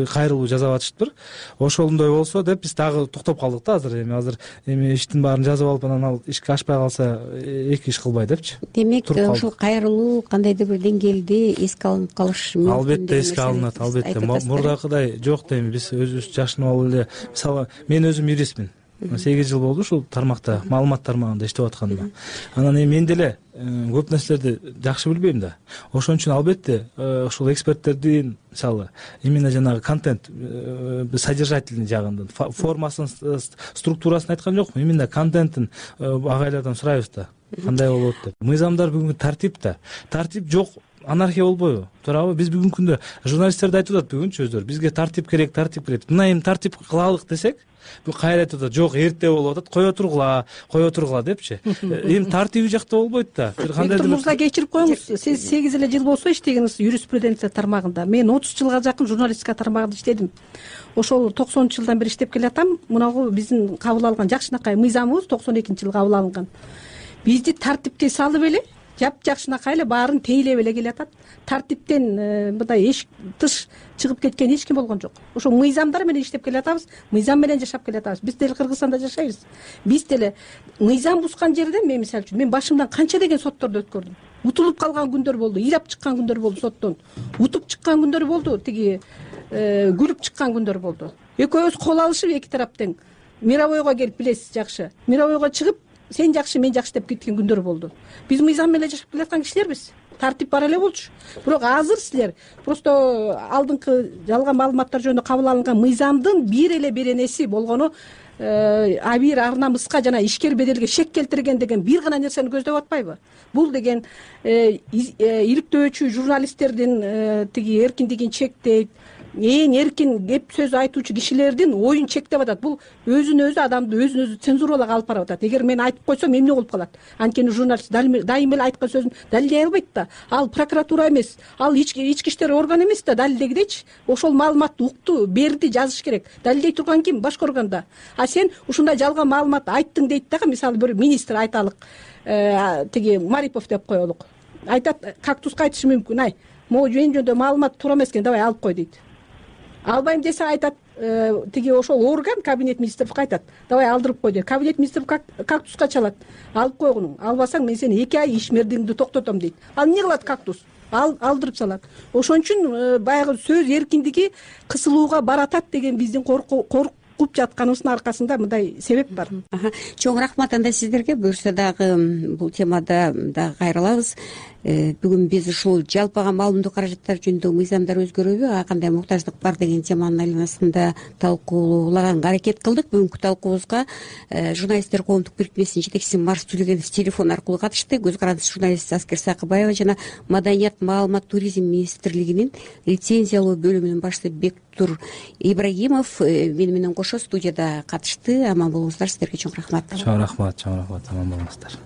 кайрылуу жасап атышыптыр. Ошондой болсо деп биз дагы токтоп калдык да азыр. Эми азыр эми иштин баарын жазып алып анан ал ишке ашпай калса эки иш кылбай депчи. Демек ушул кайрылуу кандайдыр бир деңгээлде эске алынып калышы мүмкүн. Албетте эске алынат, албетте. Мурдакыдай жок да эми биз өзүбүз жашынып алып эле, мисалы мен өзүм юристмин. сегиз жыл болду ушул тармакта, маалымат тармагында иштеп атканыма. Анан эми мен деле көп нерселерди жакшы билбейм да. Ошон үчүн албетте ушул эксперттердин мисалы именно жанагы контент содержательный жагынан формасын, структурасын айткан жокмун, именно контенттин агайлардан сурайбыз да. Кандай болот деп. Мыйзамдар бүгүнкү тартип да. Тартип жок, анархия болбойбу? Туурабы? Биз бүгүнкү күндө журналисттерди айтып атат бүгүнчү өздөрү. Бизге тартип керек, тартип керек. Мына эми тартип кылалык десек, бул кайра айтып атат, жок, эрте болуп атат, кое тургула, кое тургула депчи. Эми тартиби жакта болбойт да. Бир кандайдыр мырза кечирип коюңуз. Сиз сегиз эле жыл болсо иштегениз юриспруденция тармагында. Мен отуз жылга жакын журналистика тармагында иштедим. Ошол токсонунчу жылдан бери иштеп келатам. Мынагу биздин кабыл алган жакшынакай мыйзамыбыз токсон экинчи жылы кабыл алынган. Бизди тартипке салып эле жапжакшынакай эле баарын тейлеп эле келатат. Тартиптен мындай эч тыш чыгып кеткен эч ким болгон жок. Ошо мыйзамдар менен иштеп келатабыз, мыйзам менен жашап келатабыз. Биз деле Кыргызстанда жашайбыз. Биз деле мыйзам бузган жерде мен мисалы үчүн мен башымдан канча деген сотторду өткөрдүм. Утулуп калган күндөр болду, ыйлап чыккан күндөр болду соттон. Утуп чыккан күндөр болду, тиги күлүп чыккан күндөр болду. Экөөбүз кол алышып эки тараптан мировойго келип билесиз жакшы. Мировойго чыгып сен жакшы, мен жакшы деп кеткен күндөр болду. Биз мыйзам менен жашап келаткан кишилербиз. Тартип бар эле болчу. Бирок азыр силер просто алдыңкы жалган маалыматтар жөнүндө кабыл алынган мыйзамдын бир эле беренеси болгону а бир ар намыска жана ишкер беделге шек келтирген деген бир гана нерсени көздөп атпайбы? Бул деген иликтөөчү журналисттердин тиги эркиндигин чектейт, эң эркин кеп сөз айтуучу кишилердин оюн чектеп атат. Бул өзүн өзү адамды өзүн өзү цензуралоого алып барып атат. Эгер мен айтып койсом эмне болуп калат? Анткени журналист дайыма эле айткан сөзүн далилдей албайт да. Ал прокуратура эмес, ал ички иштер органы эмес да далилдегидечи. Ошол маалыматты укту, берди, жазыш керек. Далилдей турган ким? Башкы органда. А сен ушундай жалган маалымат айттың дейт дагы, мисалы бир министр айталык, тиги Марипов деп коелук. Айтат, кактуска айтышы мүмкүн, ай, могу жөн жөндө маалымат туура эмес экен, давай алып кой дейт. Албайм десе айтат, тиги ошол орган кабинет министрлик айтат, давай алдырып кой дейт. Кабинет министрлик кактуска чалат, алып койгуну, албасаң мен сени эки ай ишмердигиңди токтотом дейт. Ал эмне кылат кактус? Ал алдырып салат. Ошон үчүн баягы сөз эркиндиги кысылууга баратат деген биздин коркуп жатканыбыздын аркасында мындай себеп бар. Чоң рахмат анда сиздерге. Буюрса дагы бул темада дагы кайрылабыз. Бүгүн биз ушул жалпыга маалымдоо каражаттары жөнүндө мыйзамдар өзгөрөбү, а кандай муктаждык бар деген теманын айланасында талкуулаганга аракет кылдык. Бүгүнкү талкуубузга журналисттер коомдук бирикмесинин жетекчиси Марс Төлөгенов телефон аркылуу катышты. Көз карандысыз журналист Аскер Сакыбаева жана Маданият, маалымат, туризм министрлигинин лицензиялоо бөлүмүнүн башчысы Бектур Ибрагимов мени менен кошо студияда катышты. Аман болуңуздар, сиздерге чоң рахмат. Чоң рахмат, чоң рахмат, аман болуңуздар.